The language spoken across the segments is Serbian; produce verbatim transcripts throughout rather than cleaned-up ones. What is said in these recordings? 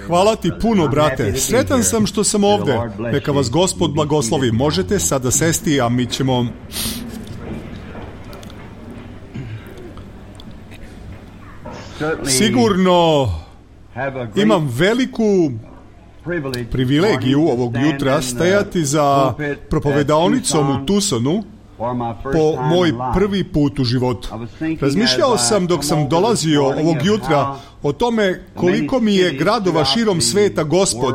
Hvala ti puno, brate. Sretan sam što sam ovde. Neka vas Gospod blagoslovi. Možete sada sesti, a mi ćemo... Sigurno imam veliku privilegiju ovog jutra stajati za propovedaonicom u Tucsonu po moj prvi put u životu. Razmišljao sam dok sam dolazio ovog jutra o tome koliko mi je gradova širom sveta Gospod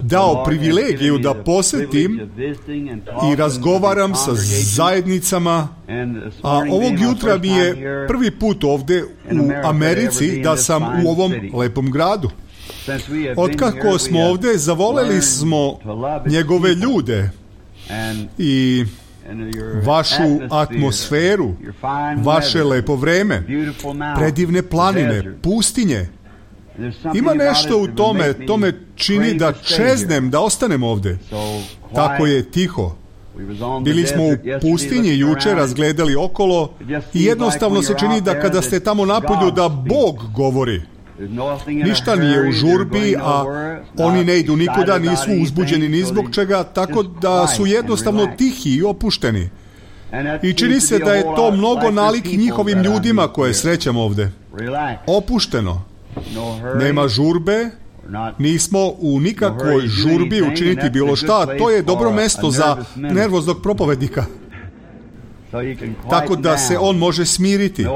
dao privilegiju da posetim i razgovaram sa zajednicama, a ovog jutra mi je prvi put ovde u Americi da sam u ovom lepom gradu. Otkako smo ovde, zavoleli smo njegove ljude i vašu atmosferu, vaše lepo vreme, predivne planine, pustinje. Ima nešto u tome, to me čini da čeznem, da ostanem ovde. Tako je tiho. Bili smo u pustinji juče, razgledali okolo i jednostavno se čini da kada ste tamo napolju da Bog govori. Ništa nije u žurbi, a oni ne idu nikuda, nisu uzbuđeni ni zbog čega, tako da su jednostavno tihi i opušteni. I čini se da je to mnogo nalik njihovim ljudima koje srećem ovde. Opušteno. Nema žurbe, nismo u nikakvoj žurbi učiniti bilo šta, to je dobro mesto za nervoznog propovednika. Tako da se on može smiriti.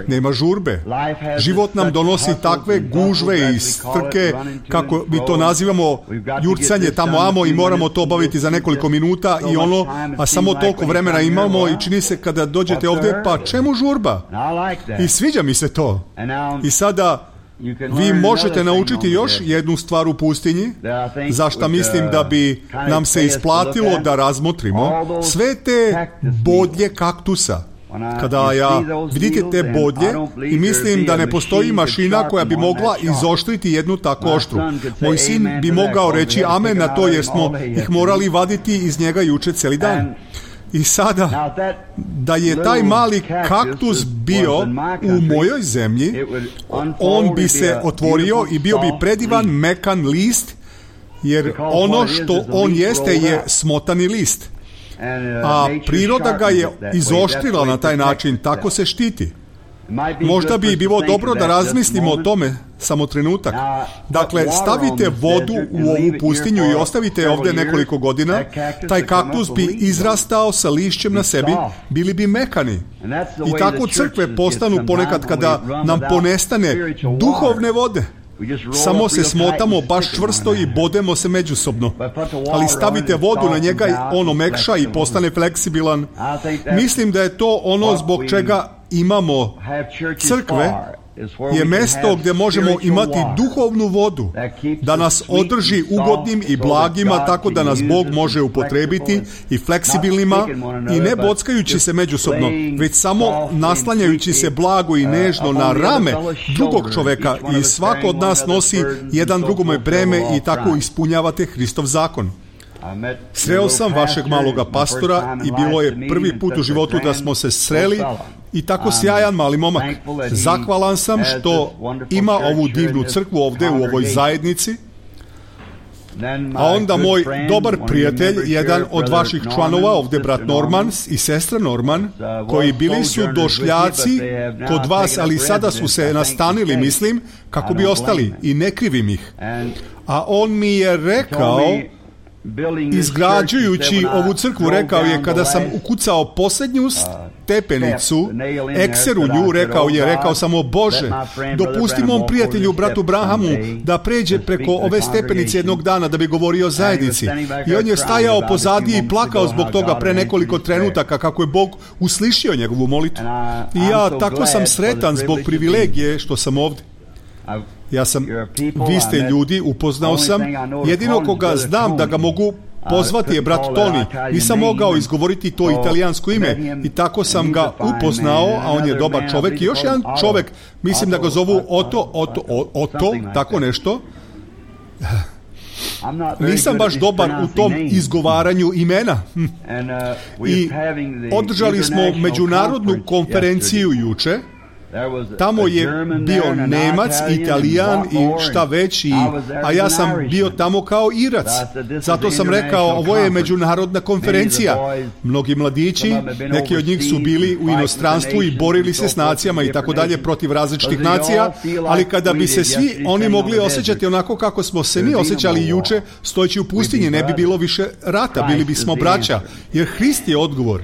Nema žurbe. Život nam donosi takve gužve i strke, kako mi to nazivamo, jurcanje tamo amo i moramo to obaviti za nekoliko minuta i ono, a samo toliko vremena imamo i čini se kada dođete ovdje, pa čemu žurba? I sviđa mi se to. I sada vi možete naučiti još jednu stvar u pustinji, za što mislim da bi nam se isplatilo da razmotrimo. Sve te bodlje kaktusa. Kada ja vidite te bodlje i mislim da ne postoji mašina koja bi mogla izoštriti jednu tako oštru. Moj sin bi mogao reći amen na to jer smo ih morali vaditi iz njega juče cijeli dan. I sada, da je taj mali kaktus bio u mojoj zemlji, on bi se otvorio i bio bi predivan, mekan list, jer ono što on jeste je smotani list. A priroda ga je izoštrila na taj način, tako se štiti. Možda bi bilo dobro da razmislimo o tome samo trenutak. Dakle, stavite vodu u ovu pustinju i ostavite je ovdje nekoliko godina, taj kaktus bi izrastao sa lišćem na sebi, bili bi mekani. I tako crkve postanu ponekad kada nam ponestane duhovne vode. Samo se smotamo baš čvrsto i bodemo se međusobno. Ali stavite vodu na njega i ono mekša i postane fleksibilan. Mislim da je to ono zbog čega imamo crkve, je mesto gdje možemo imati duhovnu vodu, da nas održi ugodnim i blagima, tako da nas Bog može upotrebiti i fleksibilnima i ne bockajući se međusobno, već samo naslanjajući se blago i nežno na rame drugog čoveka i svako od nas nosi jedan drugome breme i tako ispunjavate Hristov zakon. Sreo sam vašeg maloga pastora i bilo je prvi put u životu da smo se sreli i tako sjajan mali momak. Zahvalan sam što ima ovu divnu crkvu ovdje u ovoj zajednici. A onda moj dobar prijatelj, jedan od vaših članova ovdje, brat Norman i sestra Norman, koji bili su došljaci kod vas, ali sada su se nastanili, mislim, kako bi ostali i ne krivim ih. A on mi je rekao, izgrađujući ovu crkvu, rekao je, kada sam ukucao posljednju stepenicu, ekser u nju, rekao je, rekao sam, o Bože, dopusti mom prijatelju, bratu Branhamu, da pređe preko ove stepenice jednog dana da bi govorio o zajednici. I on je stajao pozadije i plakao zbog toga pre nekoliko trenutaka kako je Bog uslišio njegovu molitvu. I ja tako sam sretan zbog privilegije što sam ovdje. Ja sam, vi ste ljudi, upoznao sam, jedino koga znam da ga mogu pozvati je brat Tony. Nisam mogao izgovoriti to italijansko ime i tako sam ga upoznao, a on je dobar čovjek. I još jedan čovjek, mislim da ga zovu Oto, Oto, Oto, tako nešto. Nisam baš dobar u tom izgovaranju imena. I održali smo međunarodnu konferenciju juče Tamo je bio Nemac, Italijan i šta već, i, a ja sam bio tamo kao Irac. Zato sam rekao, ovo je međunarodna konferencija. Mnogi mladići, neki od njih su bili u inostranstvu i borili se s nacijama i tako dalje protiv različitih nacija, ali kada bi se svi oni mogli osjećati onako kako smo se mi osjećali juče, stojeći u pustinji, ne bi bilo više rata, bili bismo braća, jer Hrist je odgovor.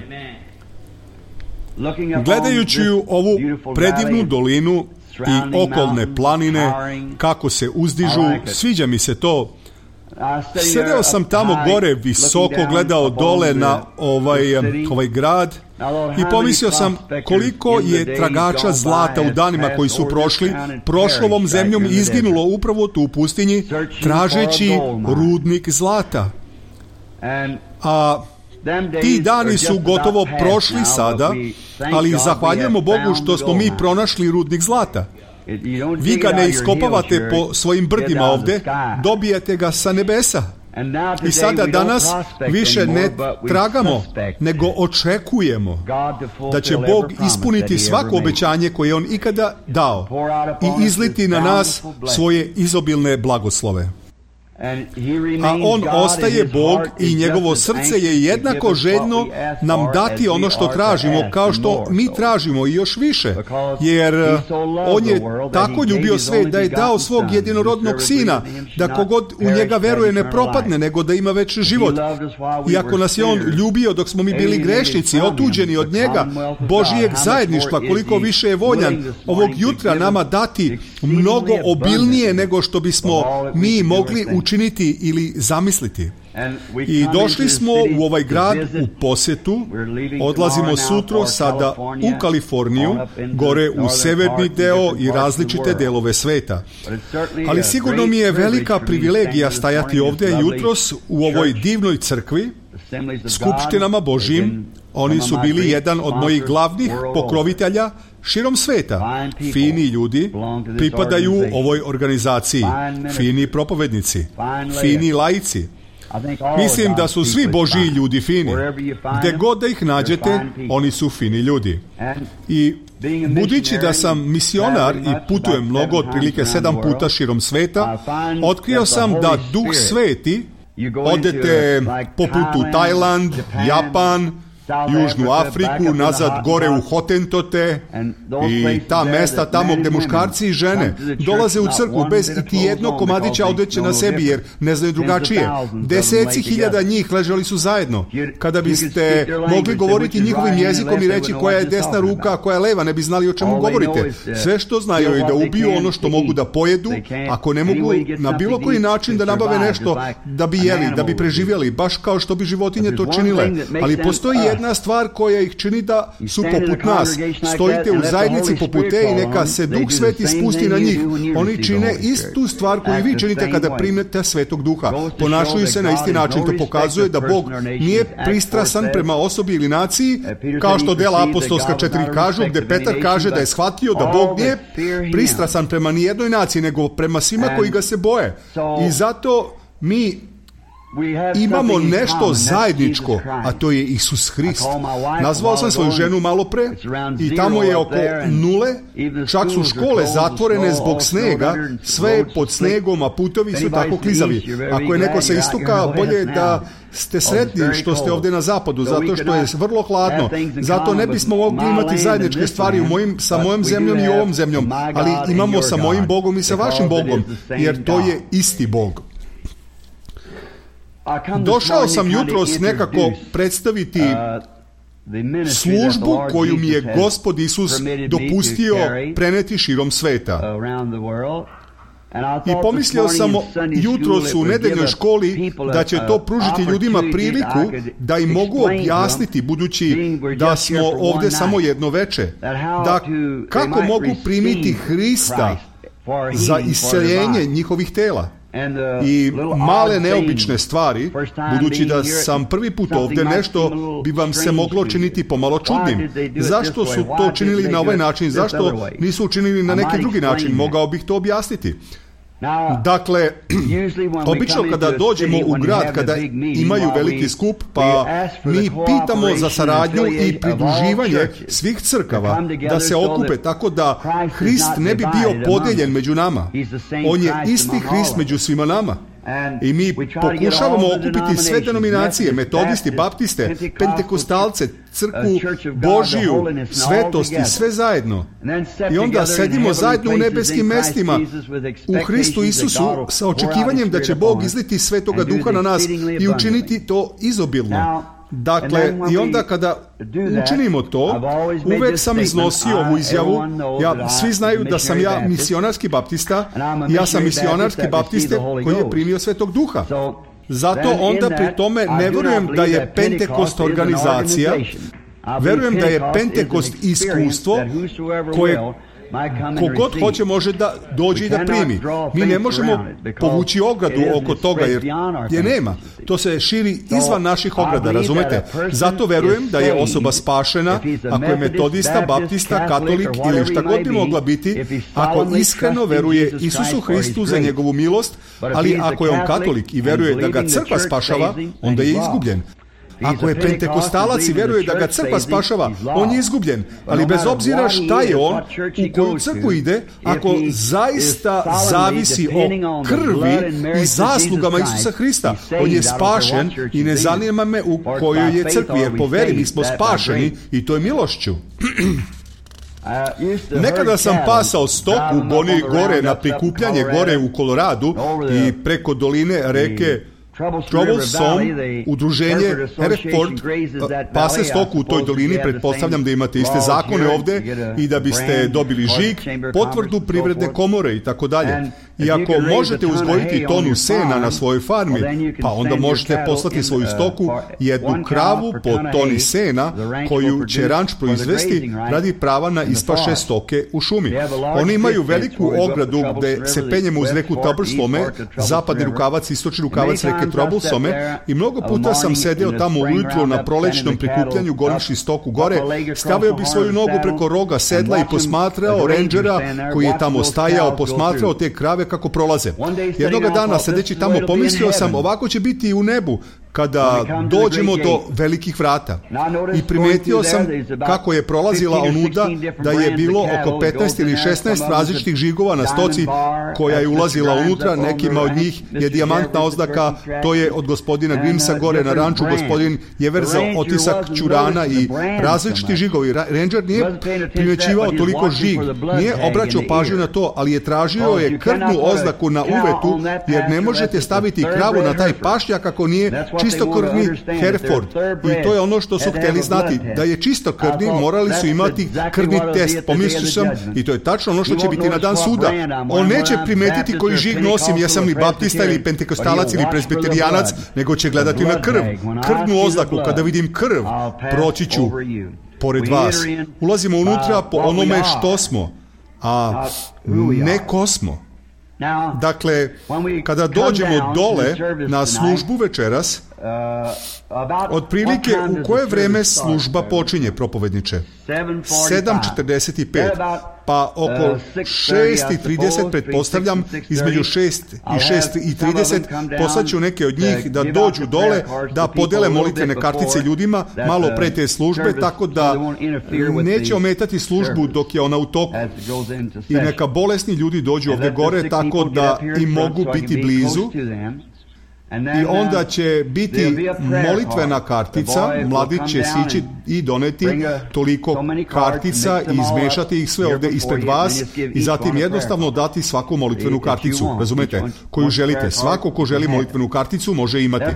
Gledajući ovu predivnu dolinu i okolne planine, kako se uzdižu, sviđa mi se to. Sedeo sam tamo gore visoko, gledao dole na ovaj, ovaj grad i pomislio sam koliko je tragača zlata u danima koji su prošli, prošlo ovom zemljom i izginulo upravo tu u pustinji, tražeći rudnik zlata. A ti dani su gotovo prošli sada, ali zahvaljujemo Bogu što smo mi pronašli rudnik zlata. Vi ga ne iskopavate po svojim brdima ovde, dobijete ga sa nebesa. I sada danas više ne tragamo, nego očekujemo da će Bog ispuniti svako obećanje koje je On ikada dao i izliti na nas svoje izobilne blagoslove. A On ostaje Bog i njegovo srce je jednako željno nam dati ono što tražimo, kao što mi tražimo i još više, jer On je tako ljubio svet da je dao svog jedinorodnog sina, da kogod u njega veruje ne propadne, nego da ima večni život. I ako nas je On ljubio dok smo mi bili grešnici, otuđeni od njega, Božijeg zajedništva, koliko više je voljan ovog jutra nama dati mnogo obilnije nego što bismo mi mogli učiniti ili zamisliti. I došli smo u ovaj grad u posjetu, odlazimo sutro sada u Kaliforniju, gore u severni deo i različite delove sveta. Ali sigurno mi je velika privilegija stajati ovdje jutros u ovoj divnoj crkvi, skupštinama Božjim. Oni su bili jedan od mojih glavnih pokrovitelja širom sveta. Fini ljudi pripadaju ovoj organizaciji, fini propovednici, fini laici. Mislim da su svi Božji ljudi fini. Gde god da ih nađete, oni su fini ljudi. I budući da sam misionar i putujem mnogo, otprilike sedam puta širom sveta, otkrio sam da Duh Sveti, odete poput u Tajland, Japan, Južnu Afriku, nazad gore u Hotentote i ta mesta tamo gde muškarci i žene dolaze u crkvu bez iti jednog komadića odeće na sebi jer ne znaju drugačije. Deseci hiljada njih ležali su zajedno. Kada biste mogli govoriti njihovim jezikom i reći koja je desna ruka, a koja je leva, ne bi znali o čemu govorite. Sve što znaju je da ubiju ono što mogu da pojedu, ako ne mogu na bilo koji način da nabave nešto da bi jeli, da bi preživjeli, baš kao što bi životinje to činile. Ali postoji jedna stvar koja ih čini da su poput nas. Stojite u zajednici poput te i neka se Duh Sveti spusti na njih. Oni čine istu stvar koju vi činite kada primete Svetog Duha. Ponašaju se na isti način. To pokazuje da Bog nije pristrasan prema osobi ili naciji, kao što dela apostolska četiri kažu, gde Petar kaže da je shvatio da Bog nije pristrasan prema nijednoj naciji, nego prema svima koji ga se boje. I zato mi imamo nešto zajedničko, a to je Isus Hrist. Nazvao sam svoju ženu malo pre i tamo je oko nule, čak su škole zatvorene zbog snega, sve je pod snegom, a putovi su tako klizavi. Ako je neko sa istoka, bolje je da ste sretni što ste ovdje na zapadu, zato što je vrlo hladno. Zato ne bismo mogli imati zajedničke stvari u mojim, sa mojom zemljom i ovom zemljom, ali imamo sa mojim Bogom i sa vašim Bogom, jer to je isti Bog. Došao sam jutros nekako predstaviti službu koju mi je Gospod Isus dopustio preneti širom sveta. I pomislio sam jutros u nedeljnoj školi da će to pružiti ljudima priliku da im mogu objasniti, budući da smo ovdje samo jedno veče, da kako mogu primiti Hrista za isceljenje njihovih tela. I male neobične stvari, budući da sam prvi put ovdje, nešto bi vam se moglo činiti pomalo čudnim. Zašto su to činili na ovaj način? Zašto nisu učinili na neki drugi način? Mogao bih to objasniti. Dakle, obično kada dođemo u grad, kada imaju veliki skup, pa mi pitamo za saradnju i pridruživanje svih crkava da se okupe tako da Hrist ne bi bio podijeljen među nama. On je isti Hrist među svima nama. I mi pokušavamo okupiti sve denominacije, metodisti, baptiste, pentekostalce, crkvu Božiju, svetost i sve zajedno. I onda sedimo zajedno u nebeskim mestima u Hristu Isusu sa očekivanjem da će Bog izliti Svetoga Duha na nas i učiniti to izobilno. Dakle, i onda kada učinimo to, uvek sam iznosio ovu izjavu, ja, svi znaju da sam ja misionarski baptista, ja sam misionarski baptiste koji je primio Svetog Duha. Zato onda pri tome ne verujem da je Pentekost organizacija, verujem da je Pentekost iskustvo koje kogod hoće može da dođe i da primi. Mi ne možemo povući ogradu oko toga jer je nema. To se širi izvan naših ograda, razumete? Zato verujem da je osoba spašena ako je metodista, baptista, katolik ili šta god bi mogla biti, ako iskreno veruje Isusu Hristu za njegovu milost, ali ako je on katolik i veruje da ga crkva spašava, onda je izgubljen. Ako je pentekostalac i veruje da ga crkva spašava, on je izgubljen. Ali bez obzira šta je on, u koju crkvu ide, ako zaista zavisi o krvi i zaslugama Isusa Hrista, on je spašen i ne zanima me u kojoj je crkvi, jer po veri mi smo spašeni i to je milošću. Nekada sam pasao stoku goni gore na prikupljanje gore u Koloradu i preko doline reke Troublesome, udruženje Hereford pase stoku u toj dolini, pretpostavljam da imate iste zakone ovde i da biste dobili žig, potvrdu privredne komore i tako dalje. I ako možete uzgojiti tonu sena na svojoj farmi, pa onda možete poslati svoju stoku jednu kravu po toni sena koju će ranč proizvesti radi prava na ispaše stoke u šumi. Oni imaju veliku ogradu gde se penjemo uz reku Troublesome, zapadni rukavac, istočni rukavac reke Troublesome, i mnogo puta sam sedeo tamo ujutro na prolećnom prikupljanju gorišći stoku gore, stavio bi svoju nogu preko roga sedla i posmatrao rendžera koji je tamo stajao, posmatrao te krave kako prolaze. Jednoga dana sedeći tamo pomislio sam, ovako će biti i u nebu kada dođemo do velikih vrata. I primetio sam kako je prolazila onuda da je bilo oko petnaest ili šesnaest različitih žigova na stoci koja je ulazila unutra. Nekima od njih je dijamantna oznaka, to je od gospodina Grimsa gore na ranču, gospodin je verzao otisak ćurana i različiti žigovi. Ranger nije primećivao toliko žig, nije obraćao pažnju na to, ali je tražio je krvnu oznaku na uvetu, jer ne možete staviti kravu na taj pašnjak ako nije čistokrvni Hereford. I to je ono što su hteli znati. Da je čistokrvni, morali su imati krvni test. Pomislio sam, i to je tačno ono što će biti na dan suda. On neće primetiti koji žig nosim, jesam li baptista ili pentekostalac ili presbiterijanac, nego će gledati na krv. Krvnu oznaku, kada vidim krv, proći ću pored vas. Ulazimo unutra po onome što smo, a ne ko smo. Dakle, kada dođemo dole na službu večeras, otprilike u koje vreme služba počinje, propovedniče? sedam četrdeset pet. Pa oko šest i trideset, pretpostavljam, između šest i šest i trideset, poslaću neke od njih da dođu dole, da podele molitvene kartice ljudima malo pre te službe, tako da neće ometati službu dok je ona u toku. I neka bolesni ljudi dođu ovde gore, tako da im mogu biti blizu. I onda će biti molitvena kartica, mladić će sići i doneti toliko kartica i izmešati ih sve ovde ispred vas i zatim jednostavno dati svaku molitvenu karticu, razumete, koju želite. Svako ko želi molitvenu karticu može imati.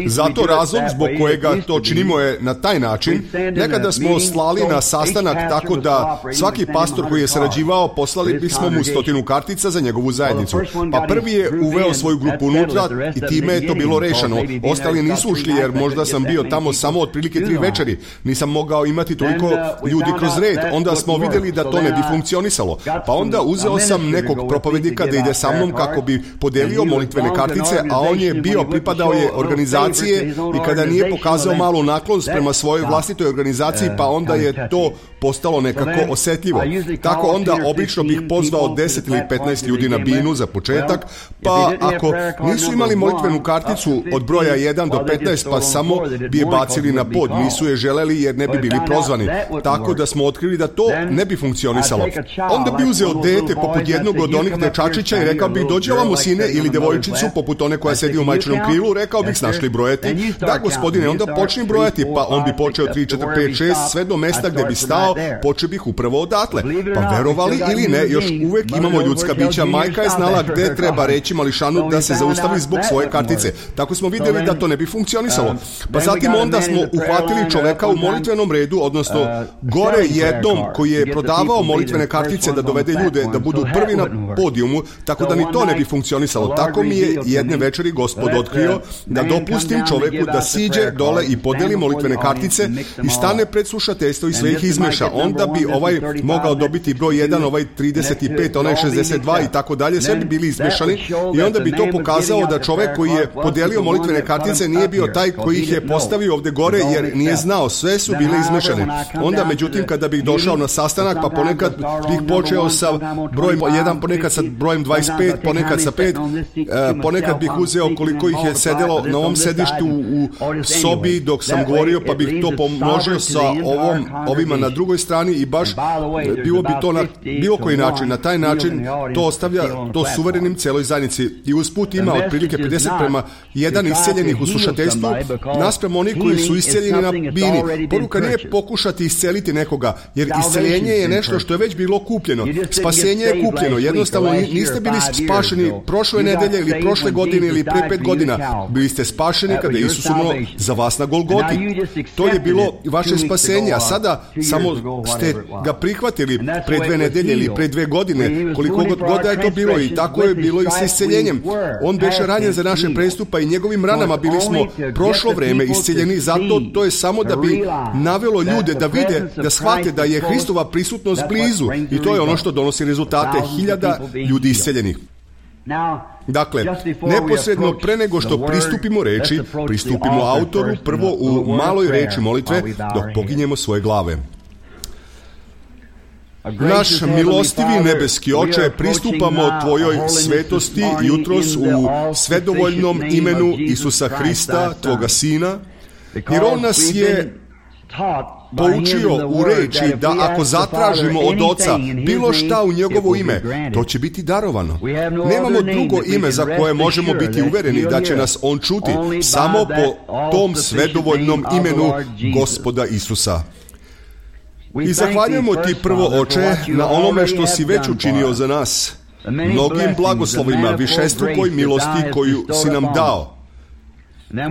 Zato razlog zbog kojega to činimo je na taj način. Nekada smo slali na sastanak tako da svaki pastor koji je sarađivao, poslali bismo mu stotinu kartica za njegovu zajednicu. Pa prvi je uveo svoju grupu unutra i time je to bilo rešeno. Ostali nisu ušli jer možda sam bio tamo samo otprilike tri večeri. Nisam mogao imati toliko ljudi kroz red. Onda smo vidjeli da to ne bi funkcionisalo. Pa onda uzeo sam nekog propovednika da ide sa mnom kako bi podelio molitvene kartice, a on je bio, pripadao je organizacije i kada nije pokazao malu naklonost prema svojoj vlastitoj organizaciji, pa onda je to postalo nekako osetljivo. Tako onda obično bih pozvao deset ili petnaest ljudi na binu za početak, pa ako nisu imali molitvenu karticu od broja jedan do petnaest, pa samo bi je bacili na pod, nisu je želeli jer ne bi bili prozvani. Tako da smo otkrili da to ne bi funkcionisalo. Onda bi uzeo dete poput jednog od onih dečačića i rekao bih, dođi ovamo sine, ili devojčicu poput one koja sedi u majčinom krilu, rekao bih, znaš li brojati? Da, gospodine, onda počni brojati, pa on bi počeo tri, četiri, pet, šest, sve do mesta gde bi stao, počeo bih upravo odatle. Pa verovali ili ne, još uvek imamo ljudska bića. Majka je znala gde treba reći mališanu da se zaustavi zbog svoje kartice. Tako smo vidjeli da to ne bi funkcionisalo. Pa zatim onda smo uhvatili čoveka u molitvenom redu, odnosno gore jednom koji je prodavao molitvene kartice da dovede ljude da budu prvi na podijumu, tako da ni to ne bi funkcionisalo. Tako mi je jedne večeri Gospod otkrio da dopustim čoveku da siđe dole i podeli molitvene kartice i stane pred slušateljstvo i sve ih izmeša. Onda bi ovaj mogao dobiti broj jedan, ovaj trideset pet, onaj šezdeset dva i tako dalje, sve bi bili izmešani i onda bi to pokazao da čovek koji je podelio molitvene kartice nije bio taj koji ih je postavio ovde gore jer nije znao, sve su bile izmešane. Onda međutim kada bih došao na sastanak, pa ponekad bih počeo sa brojem jedan, ponekad sa brojem dvadeset pet, ponekad sa pet, ponekad bih uzeo koliko ih je sedelo na ovom sedištu u sobi dok sam govorio, pa bih to pomnožio sa ovom, ovima na drugoj strani i baš bilo bi to na bilo koji način. Na taj način to ostavlja to suverenim celoj zajednici i usput ima otprilike pedeset prema jedan isceljenih u slušateljstvu naspram onih koji su isceljeni na bini. Poruka nije pokušati isceliti nekoga, jer isceljenje je nešto što je već bilo kupljeno. Spasenje je kupljeno. Jednostavno niste bili spašeni prošle nedelje ili prošle godine ili pre pet godina. Bili ste spašeni kada je Isus umro za vas na Golgoti. To je bilo vaše spasenje, a sada samo ste ga prihvatili pre dve nedelje ili pre dve godine, koliko god god je to bilo, i tako je bilo i sa isceljenjem. On beše ranjen za naše prestupa i njegovim ranama bili smo prošlo vreme isceljeni, zato to je samo da bi navelo ljude da vide, da shvate da je Hristova prisutnost blizu i to je ono što donosi rezultate hiljada ljudi isceljenih. Dakle, neposredno pre nego što pristupimo reči, pristupimo autoru prvo u maloj reči molitve dok poginjemo svoje glave. Naš milostivi nebeski Oče, pristupamo Tvojoj svetosti jutros u svedovoljnom imenu Isusa Hrista, Tvoga Sina, jer On nas je poučio u reči da ako zatražimo od Oca bilo šta u njegovo ime, to će biti darovano. Nemamo drugo ime za koje možemo biti uvereni da će nas On čuti, samo po tom svedovoljnom imenu Gospoda Isusa. I zahvaljujemo Ti prvo, Oče, na onome što si već učinio za nas, mnogim blagoslovima, višestrukoj milosti koju si nam dao.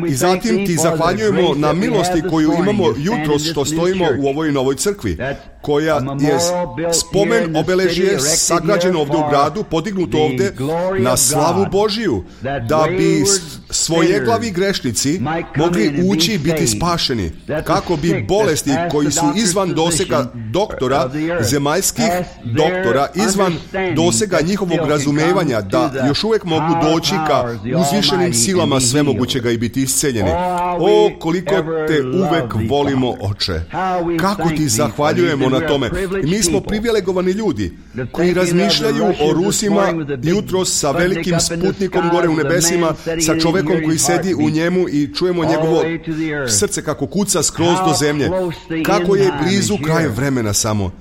I zatim Ti zahvaljujemo na milosti koju imamo jutros što stojimo u ovoj novoj crkvi, koja je spomen obeležje sagrađeno ovde u gradu, podignuto ovde na slavu Božiju, da bi svojeglavi grešnici mogli ući i biti spašeni, kako bi bolesti koji su izvan dosega doktora, zemaljskih doktora, izvan dosega njihovog razumevanja, da još uvek mogu doći ka uzvišenim silama svemogućega i biti isceljeni. O, koliko Te uvek volimo, Oče! Kako Ti zahvaljujemo na tome. I mi smo privilegovani ljudi koji razmišljaju o Rusima jutros sa velikim sputnikom gore u nebesima, sa čovekom koji sedi u njemu i čujemo njegovo srce kako kuca skroz do zemlje. Kako je blizu kraj vremena samo.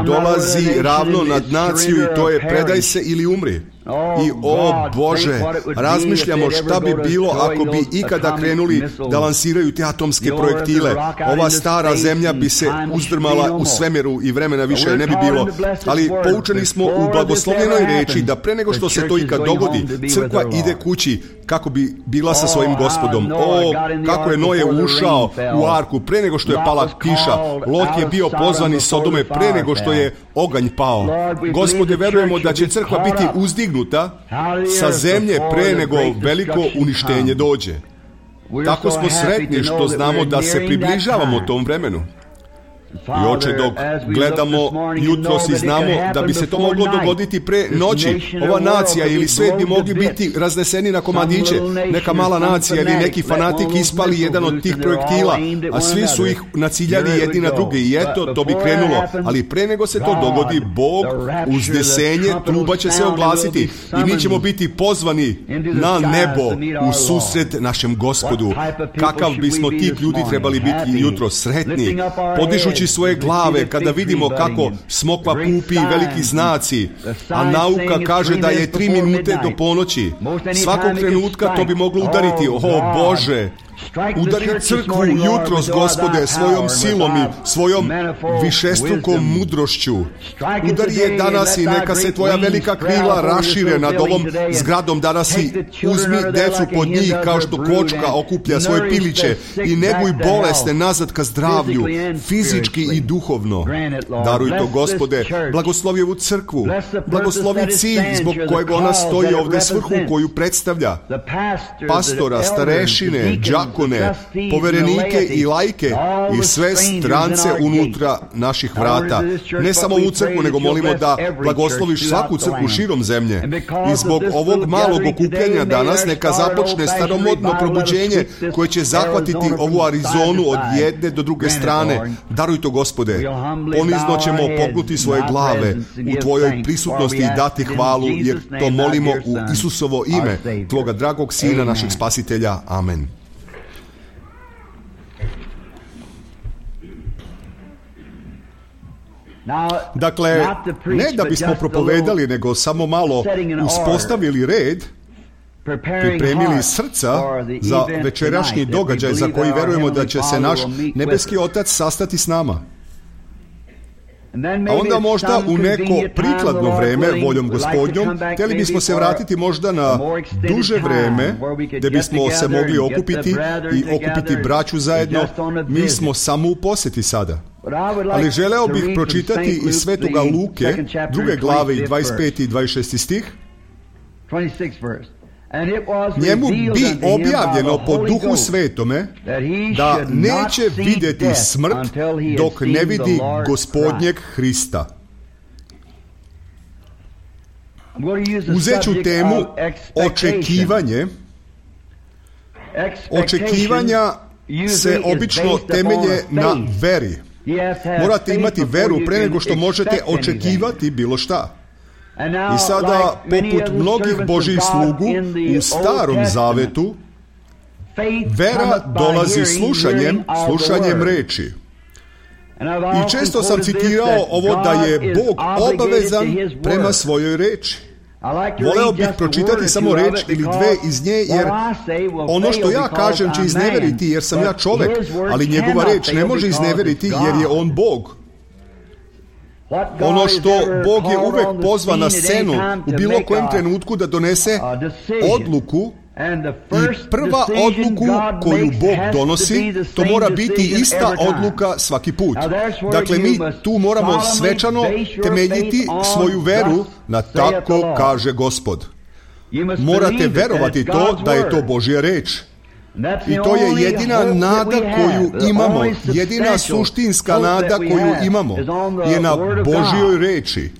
Dolazi ravno nad naciju i to je predaj se ili umri. I o Bože, razmišljamo šta bi bilo ako bi ikada krenuli da lansiraju te atomske projektile. Ova stara zemlja bi se uzdrmala u svemiru i vremena više ne bi bilo. Ali poučeni smo u blagoslovljenoj reči da pre nego što se to ikad dogodi, crkva ide kući kako bi bila sa svojim Gospodom. O, kako je Noje ušao u arku pre nego što je pala kiša. Lot je bio pozvan iz Sodome pre nego što je oganj pao. Gospode, verujemo da će crkva biti uzdignuta sa zemlje pre nego veliko uništenje dođe. Tako smo sretni što znamo da se približavamo tom vremenu. I Oče, dok gledamo jutros i znamo da bi se to moglo dogoditi pre noći, ova nacija ili svet bi mogli biti razneseni na komadiće, neka mala nacija ili neki fanatik ispali jedan od tih projektila, a svi su ih naciljali jedni na druge i eto, to bi krenulo. Ali pre nego se to dogodi, Bog, uznesenje, truba će se oglasiti i mi ćemo biti pozvani na nebo u susret našem Gospodu. Kakav bismo tih ljudi trebali biti jutro sretni, podižući svoje glave kada vidimo kako smokva pupi i veliki znaci, a nauka kaže da je tri minute do ponoći. Svakog trenutka to bi moglo udariti. O Bože, udari crkvu jutros, Gospode, svojom silom i svojom višestrukom mudrošću. Udari je danas i neka se tvoja velika krila rašire nad ovom zgradom danas i uzmi decu pod njih kao što kočka okuplja svoje piliće i neguj bolesne nazad ka zdravlju, fizički i duhovno. Daruj to, Gospode, blagoslovi ovu crkvu, blagoslovi cilj zbog kojeg ona stoji ovde, svrhu koju predstavlja, pastora, starešine, đakone, poverenike i lajke i sve strance unutra naših vrata. Ne samo ovu crkvu, nego molimo da blagosloviš svaku crkvu širom zemlje. I zbog ovog malog okupljanja danas neka započne staromodno probuđenje koje će zahvatiti ovu Arizonu od jedne do druge strane. Daruj to, Gospode. Ponizno ćemo pognuti svoje glave u tvojoj prisutnosti i dati hvalu, jer to molimo u Isusovo ime, tvoga dragog Sina, našeg Spasitelja. Amen. Dakle, ne da bismo propovedali, nego samo malo uspostavili red, pripremili srca za večerašnji događaj za koji verujemo da će se naš nebeski Otac sastati s nama. A onda možda u neko prikladno vreme, voljom Gospodnjom, htjeli bismo se vratiti možda na duže vreme, gdje bismo se mogli okupiti i okupiti braću zajedno. Mi smo samo u posjeti sada. Ali želeo bih pročitati iz Svetoga Luke, druge glave i dvadeset peti i dvadeset šesti stih. Njemu bi objavljeno po Duhu Svetome da neće vidjeti smrt dok ne vidi Gospodnjeg Hrista. Uzet ću temu očekivanje. Očekivanja se obično temelje na veri. Morate imati veru pre nego što možete očekivati bilo šta. I sada, poput mnogih Božjih slugu u Starom Zavetu, vera dolazi slušanjem, slušanjem reči. I često sam citirao ovo da je Bog obavezan prema svojoj reči. Voleo bih pročitati samo reč ili dve iz nje, jer ono što ja kažem će izneveriti, jer sam ja čovek, ali njegova reč ne može izneveriti, jer je on Bog. Ono što Bog je uvek pozva na scenu u bilo kojem trenutku da donese odluku, i prva odluku koju Bog donosi, to mora biti ista odluka svaki put. Dakle, mi tu moramo svečano temeljiti svoju veru na tako kaže Gospod. Morate verovati to da je to Božja reč. I to je jedina nada koju imamo, jedina suštinska nada koju imamo je na Božjoj reči.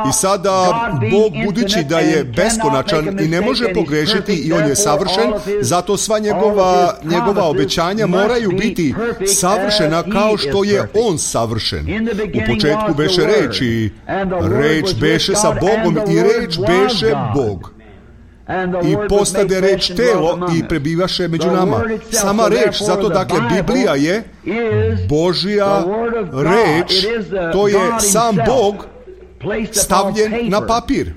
I sada Bog, budući da je beskonačan i ne može pogrešiti i on je savršen, zato sva njegova, njegova obećanja moraju biti savršena kao što je on savršen. U početku beše reč i reč beše sa Bogom i reč beše Bog. I postade reč telo i prebivaše među nama. Sama reč, zato dakle Biblija je Božja reč, to je sam Bog stavljen na papir.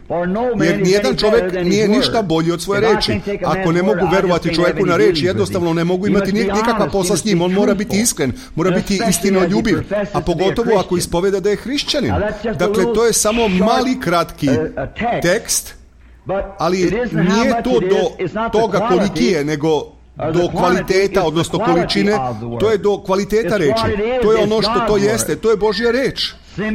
Jer nijedan čovjek nije ništa bolji od svoje reči. Ako ne mogu verovati čovjeku na reč, jednostavno ne mogu imati nikakva posla s njim. On mora biti iskren, mora biti istinoljubiv, a pogotovo ako ispoveda da je hrišćanin. Dakle, to je samo mali kratki tekst, ali nije to do toga koliki je, nego do kvaliteta, odnosno količine, to je do kvaliteta reči. To je ono što to jeste, to je Božja reč.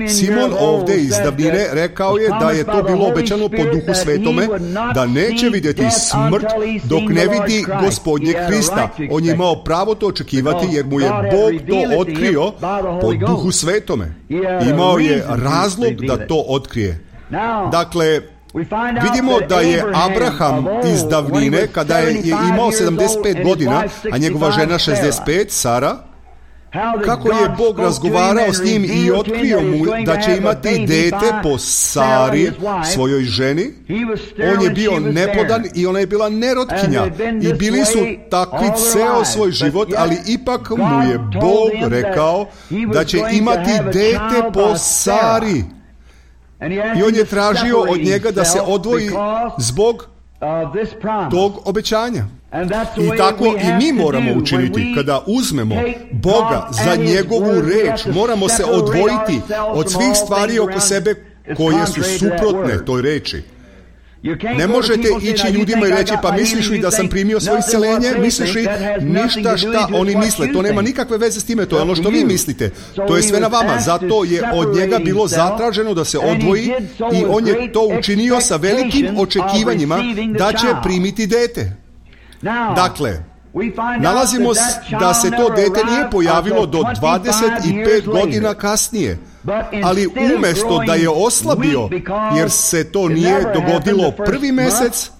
Simon ovde iz davnine rekao je da je to bilo obećano po Duhu Svetome, da neće vidjeti smrt dok ne vidi Gospodnjeg Hrista. On je imao pravo to očekivati jer mu je Bog to otkrio po Duhu Svetome. Imao je razlog da to otkrije. Dakle, vidimo da je Abraham iz davnine, kada je imao sedamdeset pet godina, a njegova žena šezdeset pet, Sara, kako je Bog razgovarao s njim i otkrio mu da će imati dete po Sari, svojoj ženi. On je bio neplodan i ona je bila nerotkinja. I bili su takvi ceo svoj život, ali ipak mu je Bog rekao da će imati dete po Sari. I on je tražio od njega da se odvoji zbog tog obećanja. I tako i mi moramo učiniti. Kada uzmemo Boga za njegovu reč, moramo se odvojiti od svih stvari oko sebe koje su suprotne toj reči. Ne možete ići ljudima i reći, pa misliš li da sam primio svoje isceljenje? Misliš li ništa šta oni misle? To nema nikakve veze s time, to je ono što vi mislite. To je sve na vama. Zato je od njega bilo zatraženo da se odvoji i on je to učinio sa velikim očekivanjima da će primiti dete. Dakle, nalazimo da se to dete nije pojavilo do dvadeset pet godina kasnije, ali umjesto da je oslabio, jer se to nije dogodilo prvi mesec,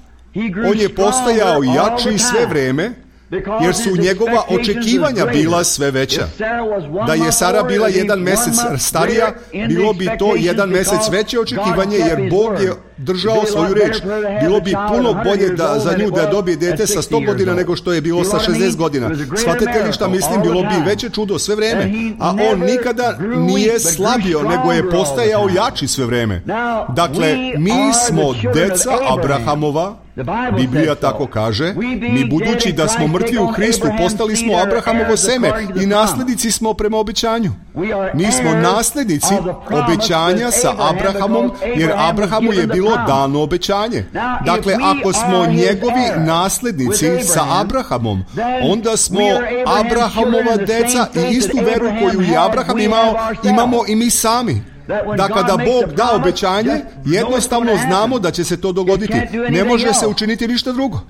on je postajao jači sve vreme, jer su njegova očekivanja bila sve veća. Da je Sara bila jedan mesec starija, bilo bi to jedan mesec veće očekivanje, jer Bog je držao svoju reč. Bilo bi puno bolje da za nju da dobije dete sa sto godina nego što je bilo sa šezdeset godina. Shvatite li šta mislim? Bilo bi veće čudo sve vreme. A on nikada nije slabio, nego je postajao jači sve vreme. Dakle, mi smo deca Abrahamova, Biblija tako kaže, mi budući da smo mrtvi u Hristu, postali smo Abrahamovo seme i naslednici smo prema obećanju. Mi smo naslednici obećanja sa Abrahamom, jer Abrahamu je bilo dano obećanje. Dakle, ako smo njegovi naslednici sa Abrahamom, onda smo Abrahamova deca i istu veru koju je Abraham imao, imamo i mi sami. Da kada Bog da obećanje, jednostavno znamo da će se to dogoditi. Ne može se učiniti ništa drugo.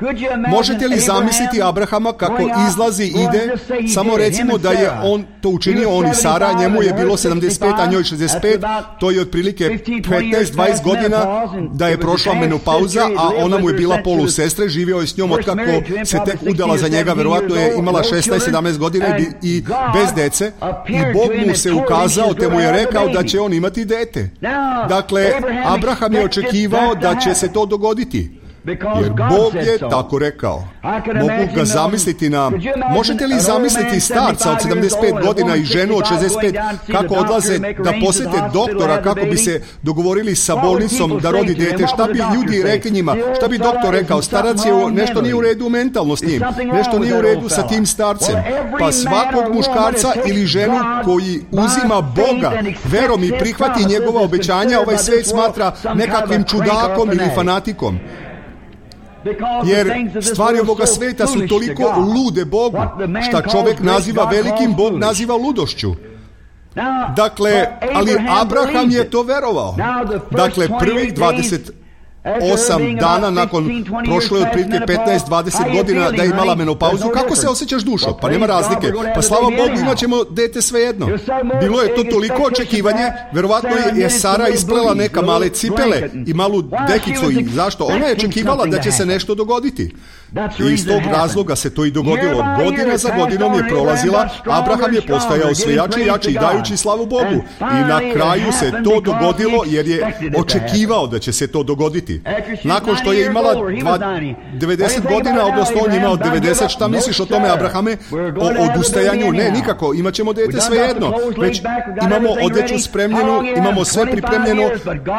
Možete li zamisliti Abrahama kako izlazi, ide? Samo recimo da je on to učinio, on i Sara, njemu je bilo sedamdeset pet, a njoj šezdeset pet, to je otprilike petnaest dvadeset godina da je prošla menopauza, a ona mu je bila polusestre, živio je s njom otkako se tek udala za njega, verovatno je imala šesnaest sedamnaest godina i bez dece, i Bog mu se ukazao te mu je rekao da će on imati imati dete. Dakle, Abraham je očekivao da će se to dogoditi, jer Bog je tako rekao. Mogu ga zamisliti na... Možete li zamisliti starca od sedamdeset pet godina i ženu od šezdeset pet kako odlaze da posjete doktora kako bi se dogovorili sa bolnicom da rodi dete? Šta bi ljudi rekli njima? Šta bi doktor rekao? Starac je, nešto nije u redu mentalno s njim. Nešto nije u redu sa tim starcem. Pa svakog muškarca ili ženu koji uzima Boga verom i prihvati njegova obećanja, ovaj svet smatra nekakvim čudakom ili fanatikom. Jer stvari ovoga sveta su toliko lude Bogu, šta čovjek naziva velikim, Bog naziva ludošću. Dakle, ali Abraham je to verovao. Dakle, prvih dvadeset osam dana nakon prošlo je otprilike petnaest dvadeset godina da je imala menopauzu. Kako se osjećaš, dušo? Pa nema razlike. Pa slava Bogu, imat ćemo dete svejedno. Bilo je to toliko očekivanje, verovatno je Sara isplela neka male cipele i malu dekicu. I zašto? Ona je očekivala da će se nešto dogoditi. I iz tog razloga se to i dogodilo. Godina za godinom je prolazila, Abraham je postajao sve jači i jači, dajući slavu Bogu. I na kraju se to dogodilo jer je očekivao da će se to dogoditi. Nakon što je imala devedeset godina, odnosno on je imao devedeset, šta misliš o tome, Abrahame? O odustajanju? Ne, nikako, imat ćemo dete svejedno. Već imamo odeću spremljenu, imamo sve pripremljeno.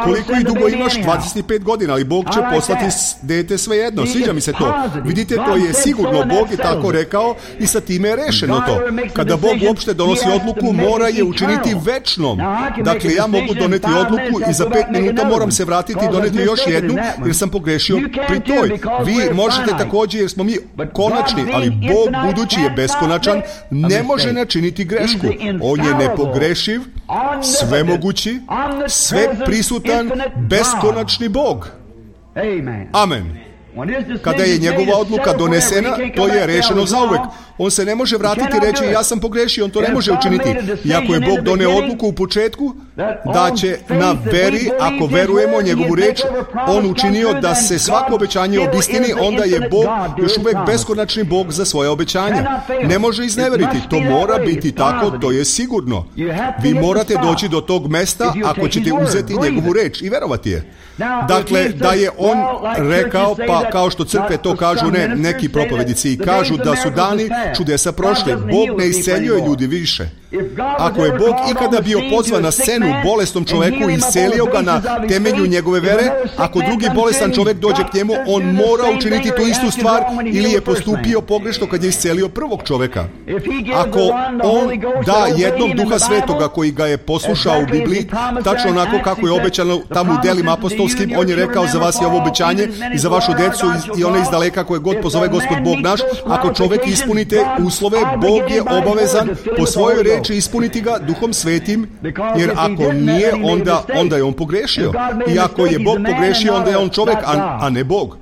Koliko i dugo imaš? dvadeset pet godina, ali Bog će poslati dete svejedno. Sviđa mi se to. Vidite, to je sigurno, Bog je tako rekao i sa time je rešeno to. Kada Bog uopšte donosi odluku, mora je učiniti večnom. Dakle, ja mogu doneti odluku i za pet minuta moram se vratiti i doneti još jednu jednu jer sam pogrešio pri toj. Vi možete također jer smo mi konačni, ali Bog budući je beskonačan, ne može načiniti grešku. On je nepogrešiv, svemogući, sve prisutan, beskonačni Bog. Amen. Kada je njegova odluka donesena, to je rešeno zauvek. On se ne može vratiti i reći ja sam pogrešio, on to ne može učiniti. Iako je Bog doneo odluku u početku da će na veri, ako verujemo njegovu reč, on učinio da se svako obećanje obistini, onda je Bog još uvek beskonačni Bog za svoje obećanja. Ne može izneveriti, to mora biti tako, to je sigurno. Vi morate doći do tog mesta ako ćete uzeti njegovu reč i verovati je. Dakle, da je on rekao, pa kao što crkve to kažu, ne, neki propovedici i kažu da su dani čudesa prošli. Bog ne isceljuje ljudi više. Ako je Bog ikada bio pozvan na scenu bolesnom čoveku i iscelio ga na temelju njegove vere, ako drugi bolestan čovek dođe k njemu, on mora učiniti tu istu stvar ili je postupio pogrešno kad je iscelio prvog čoveka. Ako on da jednom Duha Svetoga koji ga je poslušao u Bibliji, tačno onako kako je obećano tamo u delima apostolskim, on je rekao za vas je ovo obećanje i za vašu decu i one iz daleka koje god pozove Gospod Bog naš, ako čovek ispunite uslove, Bog je obavezan po svojoj reči ispuniti ga Duhom Svetim, jer ako nije, onda, onda je on pogrešio. I ako je Bog pogrešio, onda je on čovek, a, a ne Bog.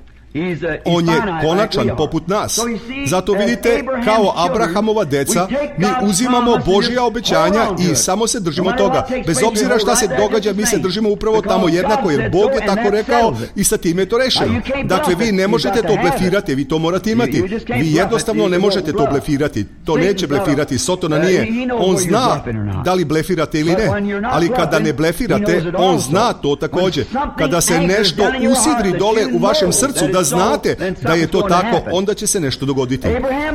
On je konačan poput nas. Zato vidite, kao Abrahamova deca, mi uzimamo Božja obećanja i samo se držimo toga. Bez obzira šta se događa, mi se držimo upravo tamo jednako, jer Bog je tako rekao i sa time je to rešeno. Dakle, vi ne možete to blefirati, vi to morate imati. Vi jednostavno ne možete to blefirati. To neće blefirati, Sotona nije. On zna da li blefirate ili ne, ali kada ne blefirate, on zna to također. Kada se nešto usidri dole u vašem srcu, da znate da je to tako, onda će se nešto dogoditi.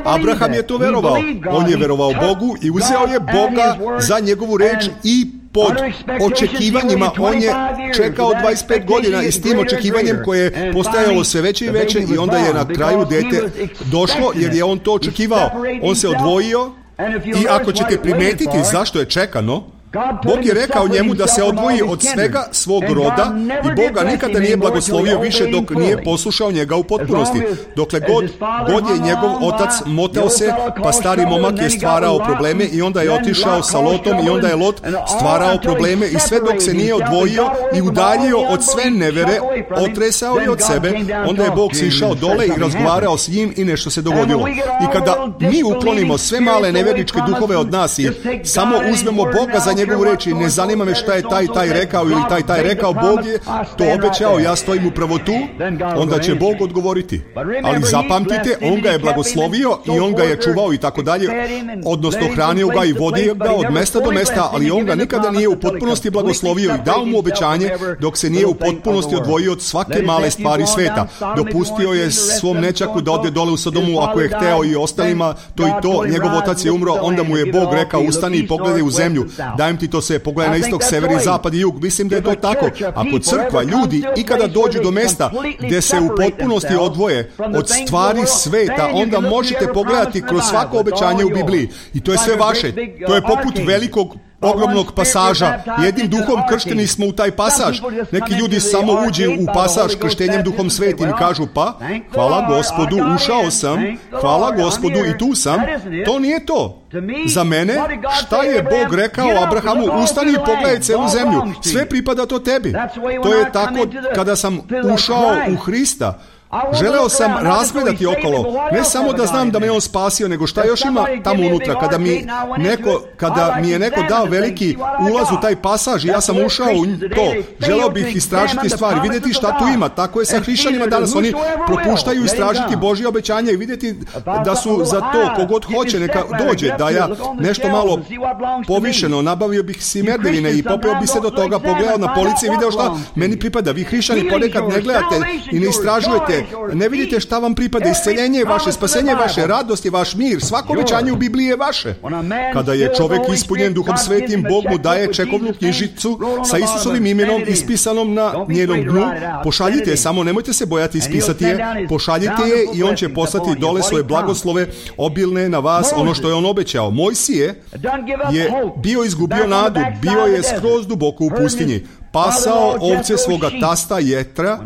Abraham je to verovao. On je verovao Bogu i uzeo je Boga za njegovu reč i pod očekivanjima. On je čekao dvadeset pet godina i s tim očekivanjem koje je postajalo sve veće i veće i onda je na kraju dete došlo jer je on to očekivao. On se odvojio i ako ćete primetiti zašto je čekano, Bog je rekao njemu da se odvoji od svega svog roda i Boga nikada nije blagoslovio više dok nije poslušao njega u potpunosti. Dokle god, god je njegov otac motao se, pa stari momak je stvarao probleme i onda je otišao sa Lotom i onda je Lot stvarao probleme i sve dok se nije odvojio i udaljio od sve nevere, otresao je od sebe, onda je Bog sišao dole i razgovarao s njim i nešto se dogodilo. I kada mi uklonimo sve male neveričke duhove od nas i samo uzmemo Boga za njegovu reč i ne zanima me šta je taj taj rekao ili taj taj rekao, Bog je to obećao, ja stojim upravo tu, onda će Bog odgovoriti. Ali zapamtite, on ga je blagoslovio i on ga je čuvao i tako dalje, odnosno hranio ga i vodio ga od mesta do mesta, ali on ga nikada nije u potpunosti blagoslovio i dao mu obećanje dok se nije u potpunosti odvojio od svake male stvari sveta. Dopustio je svom nečaku da ode dole u Sodomu ako je hteo i ostalima, to i to, njegov otac je umro, onda mu je Bog rekao ustani i pogledaj u zemlju, dajem ti to se, pogledaj na istok, sever i zapad i jug. Mislim da je to tako. Ako crkva, ljudi, ikada dođu do mesta gde se u potpunosti odvoje od stvari sveta, onda možete pogledati kroz svako obećanje u Bibliji. I to je sve vaše. To je poput velikog ogromnog pasaža. Jednim duhom kršteni smo u taj pasaž. Neki ljudi samo uđu u pasaž krštenjem Duhom Svetim i kažu pa, hvala Gospodu, ušao sam, hvala Gospodu i tu sam. To nije to. Za mene, šta je Bog rekao Abrahamu, ustani i pogledaj celu zemlju. Sve pripada to tebi. To je tako kada sam ušao u Hrista. Želeo sam razgledati okolo, ne samo da znam da me on spasio, nego šta još ima tamo unutra. Kada mi, neko, kada mi je neko dao veliki ulaz u taj pasaž i ja sam ušao u to, želeo bih istražiti stvari, vidjeti šta tu ima. Tako je sa hrišćanima danas, oni propuštaju istražiti Božje obećanja i vidjeti da su za to, kogod hoće neka dođe, da ja nešto malo povišeno, nabavio bih si merdevine i popeo bi se do toga, pogledao na polici i video šta meni pripada. Vi hrišćani ponekad ne gledate i ne istražujete, ne vidite šta vam pripada. Isceljenje je vaše, spasenje je vaše, radost je vaš, mir, svako obećanje u Bibliji je vaše. Kada je čovek ispunjen Duhom Svetim, Bog mu daje čekovnu knjižicu sa Isusovim imenom ispisanom na njenom dnu. Pošaljite je, samo nemojte se bojati ispisati je, pošaljite je i on će poslati dole svoje blagoslove obilne na vas, ono što je on obećao. Mojsije je bio izgubio nadu, bio je skroz duboko u pustinji. pasao ovce svoga tasta Jetra,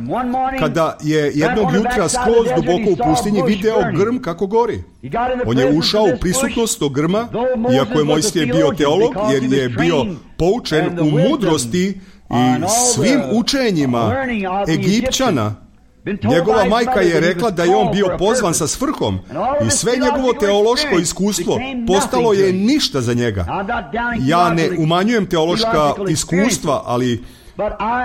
kada je jednog jutra skroz duboko u pustinji video grm kako gori. On je ušao u prisutnost tog grma, iako je Mojsije bio teolog, jer je bio poučen u mudrosti i svim učenjima Egipćana. Njegova majka je rekla da je on bio pozvan sa svrhom i sve njegovo teološko iskustvo postalo je ništa za njega. Ja ne umanjujem teološka iskustva, ali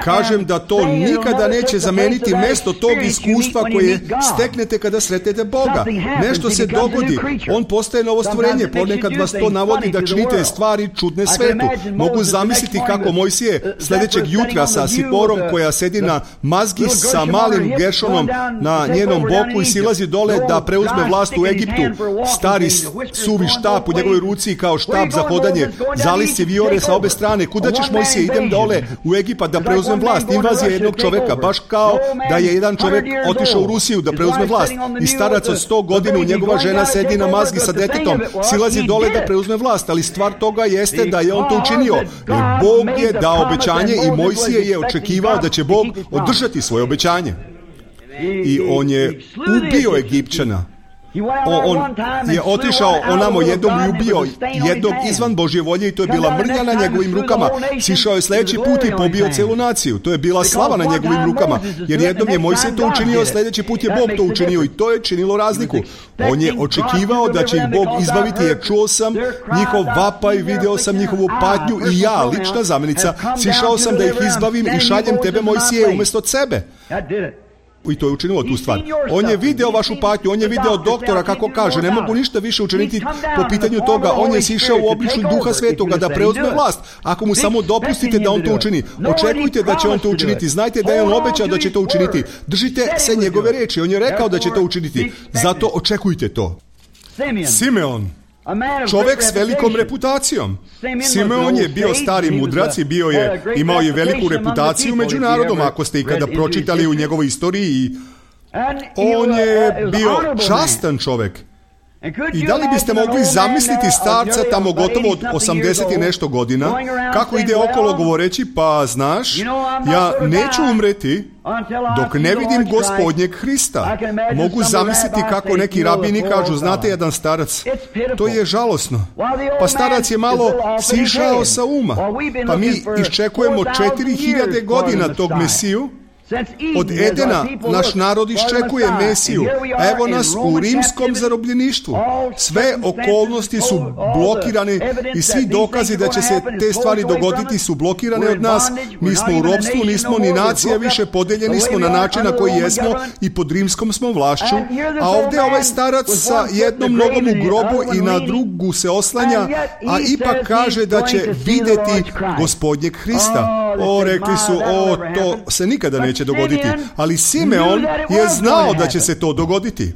kažem da to nikada neće zameniti mesto tog iskustva koje steknete kada sretnete Boga. Nešto se dogodi, on postaje novo stvorenje, ponekad vas to navodi da činite stvari čudne svetu. Mogu zamisliti kako Mojsije sljedećeg jutra sa Siporom koja sedi na mazgi sa malim Geršonom na njenom boku i silazi dole da preuzme vlast u Egiptu. Stari suvi štap u njegovoj ruci kao štap za hodanje, zalisci vijore sa obe strane. Kuda ćeš, Mojsije? Idem dole u Egipat da preuzmem vlast. Invazija jednog čoveka, baš kao da je jedan čovjek otišao u Rusiju da preuzme vlast. I starac od sto godina, njegova žena sedi na mazgi sa detetom, silazi dole da preuzme vlast, ali stvar toga jeste da je on to učinio. Jer Bog je dao obećanje i Mojsije je očekivao da će Bog održati svoje obećanje. I on je ubio Egipćana. O, on je otišao onamo jednom i ubio jednog izvan Božje volje i to je bila mrnja na njegovim rukama. Sišao je sljedeći put i pobio celu naciju. To je bila slava na njegovim rukama, jer jednom je Mojsije to učinio, sljedeći put je Bog to učinio i to je činilo razliku. On je očekivao da će ih Bog izbaviti, jer čuo sam njihov vapaj, video sam njihovu patnju i ja, lična zamjenica, sišao sam da ih izbavim i šaljem tebe, Mojsije, umjesto sebe. I to je učinilo tu stvar. On je video vašu patnju, on je video doktora kako kaže, ne mogu ništa više učiniti po pitanju toga. On je sišao u obličju Duha Svetoga da preuzme vlast. Ako mu samo dopustite da on to učini, očekujte da će on to učiniti. Znajte da je on obećao da će to učiniti. Držite se njegove riječi. On je rekao da će to učiniti. Zato očekujte to. Simeon, čovjek s velikom reputacijom. Simeon je bio stari mudrac i bio je, imao je veliku reputaciju među narodom, ako ste ikada pročitali u njegovoj istoriji. On je bio častan čovjek. I da li biste mogli zamisliti starca tamo gotovo od osamdeset i nešto godina, kako ide okolo govoreći, pa znaš, ja neću umreti dok ne vidim Gospodnjeg Hrista. Mogu zamisliti kako neki rabini kažu, znate, jedan starac, to je žalosno. Pa starac je malo sišao sa uma. Pa mi iščekujemo četiri hiljade godina tog Mesiju. Od Edena naš narod iščekuje Mesiju, a evo nas u rimskom zarobljeništvu. Sve okolnosti su blokirane i svi dokazi da će se te stvari dogoditi su blokirane od nas. Mi smo u ropstvu, nismo ni nacija više, podeljeni smo na način na koji jesmo i pod rimskom smo vlašću. A ovdje ovaj starac sa jednom nogom u grobu i na drugu se oslanja, a ipak kaže da će vidjeti Gospodnjeg Hrista. O, rekli su, o, to se nikada neće dogoditi. Ali Simeon je znao da će se to dogoditi.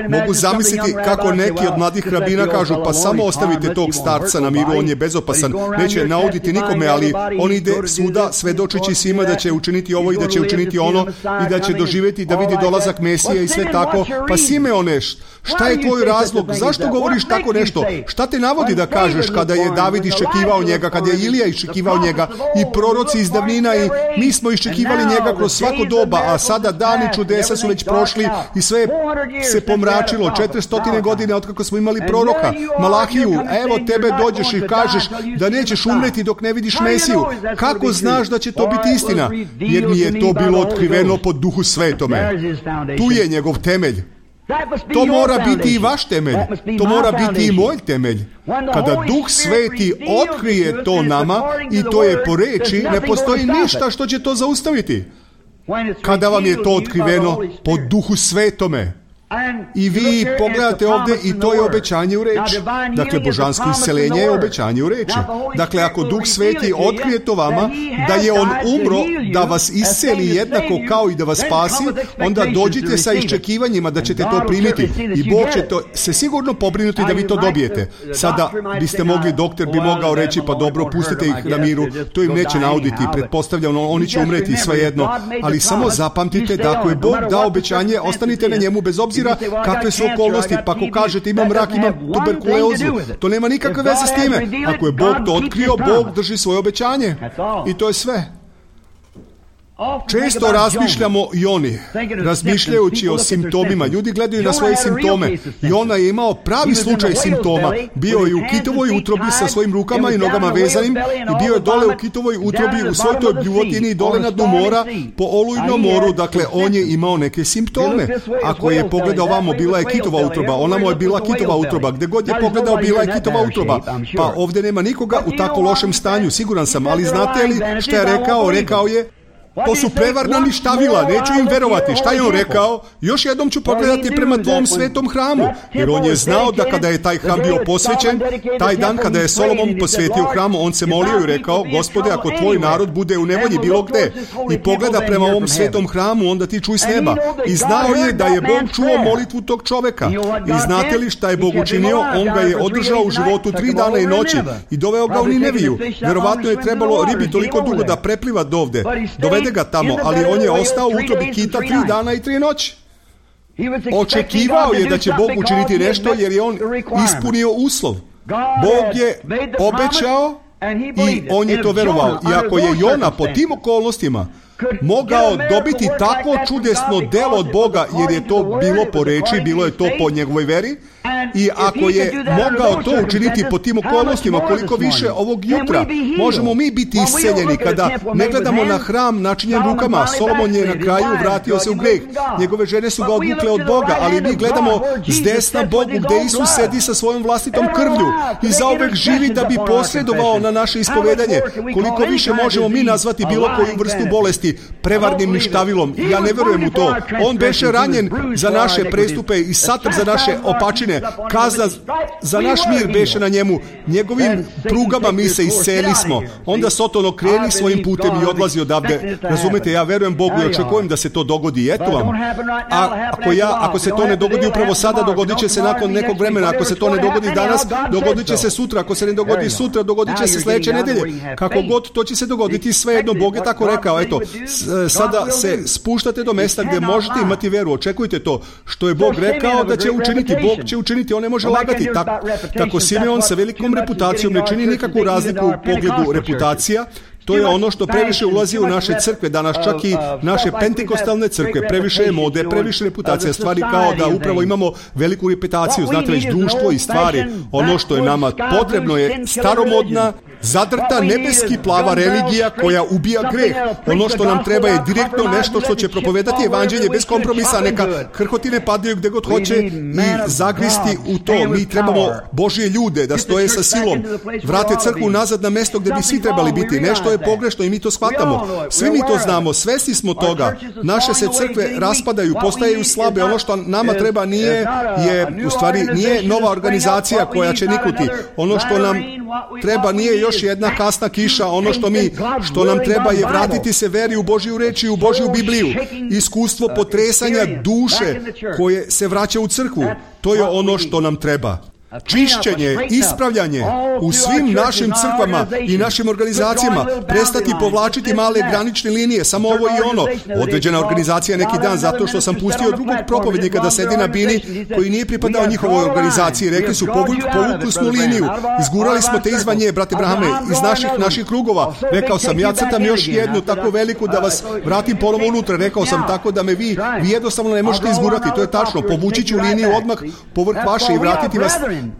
Mogu zamisliti kako neki od mladih rabina kažu, pa samo ostavite tog starca na miru, on je bezopasan, neće nauditi nikome, ali on ide svuda svedočeći svima da će učiniti ovo i da će učiniti ono i da će doživjeti da vidi dolazak Mesije i sve tako. Pa Simeone, šta je tvoj razlog? Zašto govoriš tako nešto? Šta te navodi da kažeš kada je David iščekivao njega, kada je Ilija iščekivao njega i proroci iz davnina i mi smo iščekivali njega kroz svako doba, a sada dani čudesa su već prošli i sve se pomračilo. četiristo godine otkako smo imali proroka Malahiju, evo tebe dođeš i kažeš da nećeš umreti dok ne vidiš Mesiju. Kako znaš da će to biti istina? Jer mi je to bilo otkriveno po Duhu Svetome. Tu je njegov temelj. To mora biti i vaš temelj. To mora biti i moj temelj. Kada Duh Sveti otkrije to nama i to je po reči, ne postoji ništa što će to zaustaviti. Kada vam je to otkriveno po Duhu Svetome. I vi pogledate ovdje i to je obećanje u reči. Dakle, božansko isceljenje je obećanje u reči. Dakle, ako Duh Sveti otkrije to vama, da je On umro da vas isceli jednako kao i da vas spasi, onda dođite sa iščekivanjima da ćete to primiti. I Bog će to se sigurno pobrinuti da vi to dobijete. Sada biste mogli, doktor bi mogao reći, pa dobro, pustite ih na miru, to im neće nauditi, pretpostavljamo, oni će umreti svejedno. Ali samo zapamtite da ako je Bog dao obećanje, ostanite na njemu bez obzira kakve su okolnosti, pa ako kažete imam rak, imam tuberkulozu, to nema nikakve veze s time. Ako je Bog to otkrio, Bog drži svoje obećanje. I to je sve. Često razmišljamo i oni, razmišljajući o simptomima. Ljudi gledaju na svoje simptome. Jona je imao pravi slučaj simptoma. Bio je u kitovoj utrobi sa svojim rukama i nogama vezanim i bio je dole u kitovoj utrobi u svoj toj bljuvotini dole na dnu mora po olujnom moru. Dakle, on je imao neke simptome. Ako je pogledao vamo, bila je kitova utroba. Ona mu je bila kitova utroba. Gde god je pogledao, bila je kitova utroba. Pa ovdje nema nikoga u tako lošem stanju, siguran sam. Ali znate li šta je rekao? Rekao je: to su prevarna ništavila, neću im verovati. Šta je on rekao? Još jednom ću pogledati prema tvom svetom hramu. Jer on je znao da kada je taj hram bio posvećen, taj dan kada je Solomon posvetio hramu, on se molio i rekao: Gospode, ako tvoj narod bude u nevolji bilo gde i pogleda prema ovom svetom hramu, onda ti čuj s neba. I znao je da je Bog čuo molitvu tog čoveka. I znate li šta je Bog učinio? On ga je održao u životu tri dana i noći i doveo ga u Nineviju. Verovatno je trebalo ribi toliko dugo da prepliva dovde. Dovede ga tamo, ali on je ostao u utrobi kita tri dana i tri noći. Očekivao je da će Bog učiniti nešto jer je on ispunio uslov. Bog je obećao i on je to verovao. I ako je Jona po tim okolnostima mogao dobiti tako čudesno delo od Boga, jer je to bilo po reči, bilo je to po njegovoj veri, i ako je mogao to učiniti po tim okolnostima, koliko više ovog jutra možemo mi biti isceljeni kada ne gledamo na hram načinjen rukama. Solomon je na kraju vratio se u greh. Njegove žene su ga odvukle od Boga, ali mi gledamo s desna Bogu gde Isus sedi sa svojom vlastitom krvlju i zauvek živi da bi posredovao na naše ispovedanje. Koliko više možemo mi nazvati bilo koju vrstu bolesti prevarnim ništavilom. Ja ne verujem u to. On beše ranjen za naše prestupe i satr za naše opačine. Kazna za naš mir beše na njemu. Njegovim prugama mi se isceli smo. Onda Soton okreni svojim putem i odlazi odavde. Razumete, ja verujem Bogu i očekujem da se to dogodi. Eto vam. A ako, ja, ako se to ne dogodi upravo sada, dogodit će se nakon nekog vremena. Ako se to ne dogodi danas, dogodit će se sutra. Ako se ne dogodi sutra, dogodit će se sledeće nedelje. Kako god, to će se dogoditi svejedno. Bog je tako rekao. Eto, sada se spuštate do mesta gdje možete imati veru. Očekujte to što je Bog rekao da će učiniti. Bog će učiniti, on ne može lagati. Tako, tako Simeon sa velikom reputacijom ne čini nikakvu razliku u pogledu reputacija. To je ono što previše ulazi u naše crkve danas, čak i naše pentekostalne crkve. Previše je mode, previše reputacija, stvari kao da upravo imamo veliku reputaciju, znate već društvo i stvari. Ono što je nama potrebno je staromodna, zadrta, nebeski plava religija koja ubija greh. Ono što nam treba je direktno nešto što će propovedati evanđelje bez kompromisa, neka krhotine padaju gde god hoće i zagristi u to. Mi trebamo Božje ljude da stoje sa silom, vrate crkvu nazad na mesto gde bi svi trebali biti. Nešto je pogrešno i mi to shvatamo. Svi mi to znamo, svesni smo toga. Naše se crkve raspadaju, postaju slabe. Ono što nama treba nije, je, u stvari, nije nova organizacija koja će niknuti. Ono što nam treba nije još jedna kasna kiša. Ono što mi, što nam treba je vratiti se veri u Božju reč i u Božju Bibliju. Iskustvo potresanja duše koje se vraća u crkvu. To je ono što nam treba. Čišćenje, ispravljanje u svim našim crkvama i našim organizacijama, prestati povlačiti male granične linije, samo ovo i ono. Određena organizacija neki dan, zato što sam pustio drugog propovednika da sedi na bini koji nije pripadao njihovoj organizaciji. Rekli su, povukli smo liniju, izgurali smo te izvan nje, brate Brahame, iz naših naših krugova. Rekao sam, ja crtam još jednu tako veliku da vas vratim ponovo unutra. Rekao sam, tako da me vi, vi jednostavno ne možete izgurati. To je tačno, povući ću liniju odmah povrh vaše i vratiti vas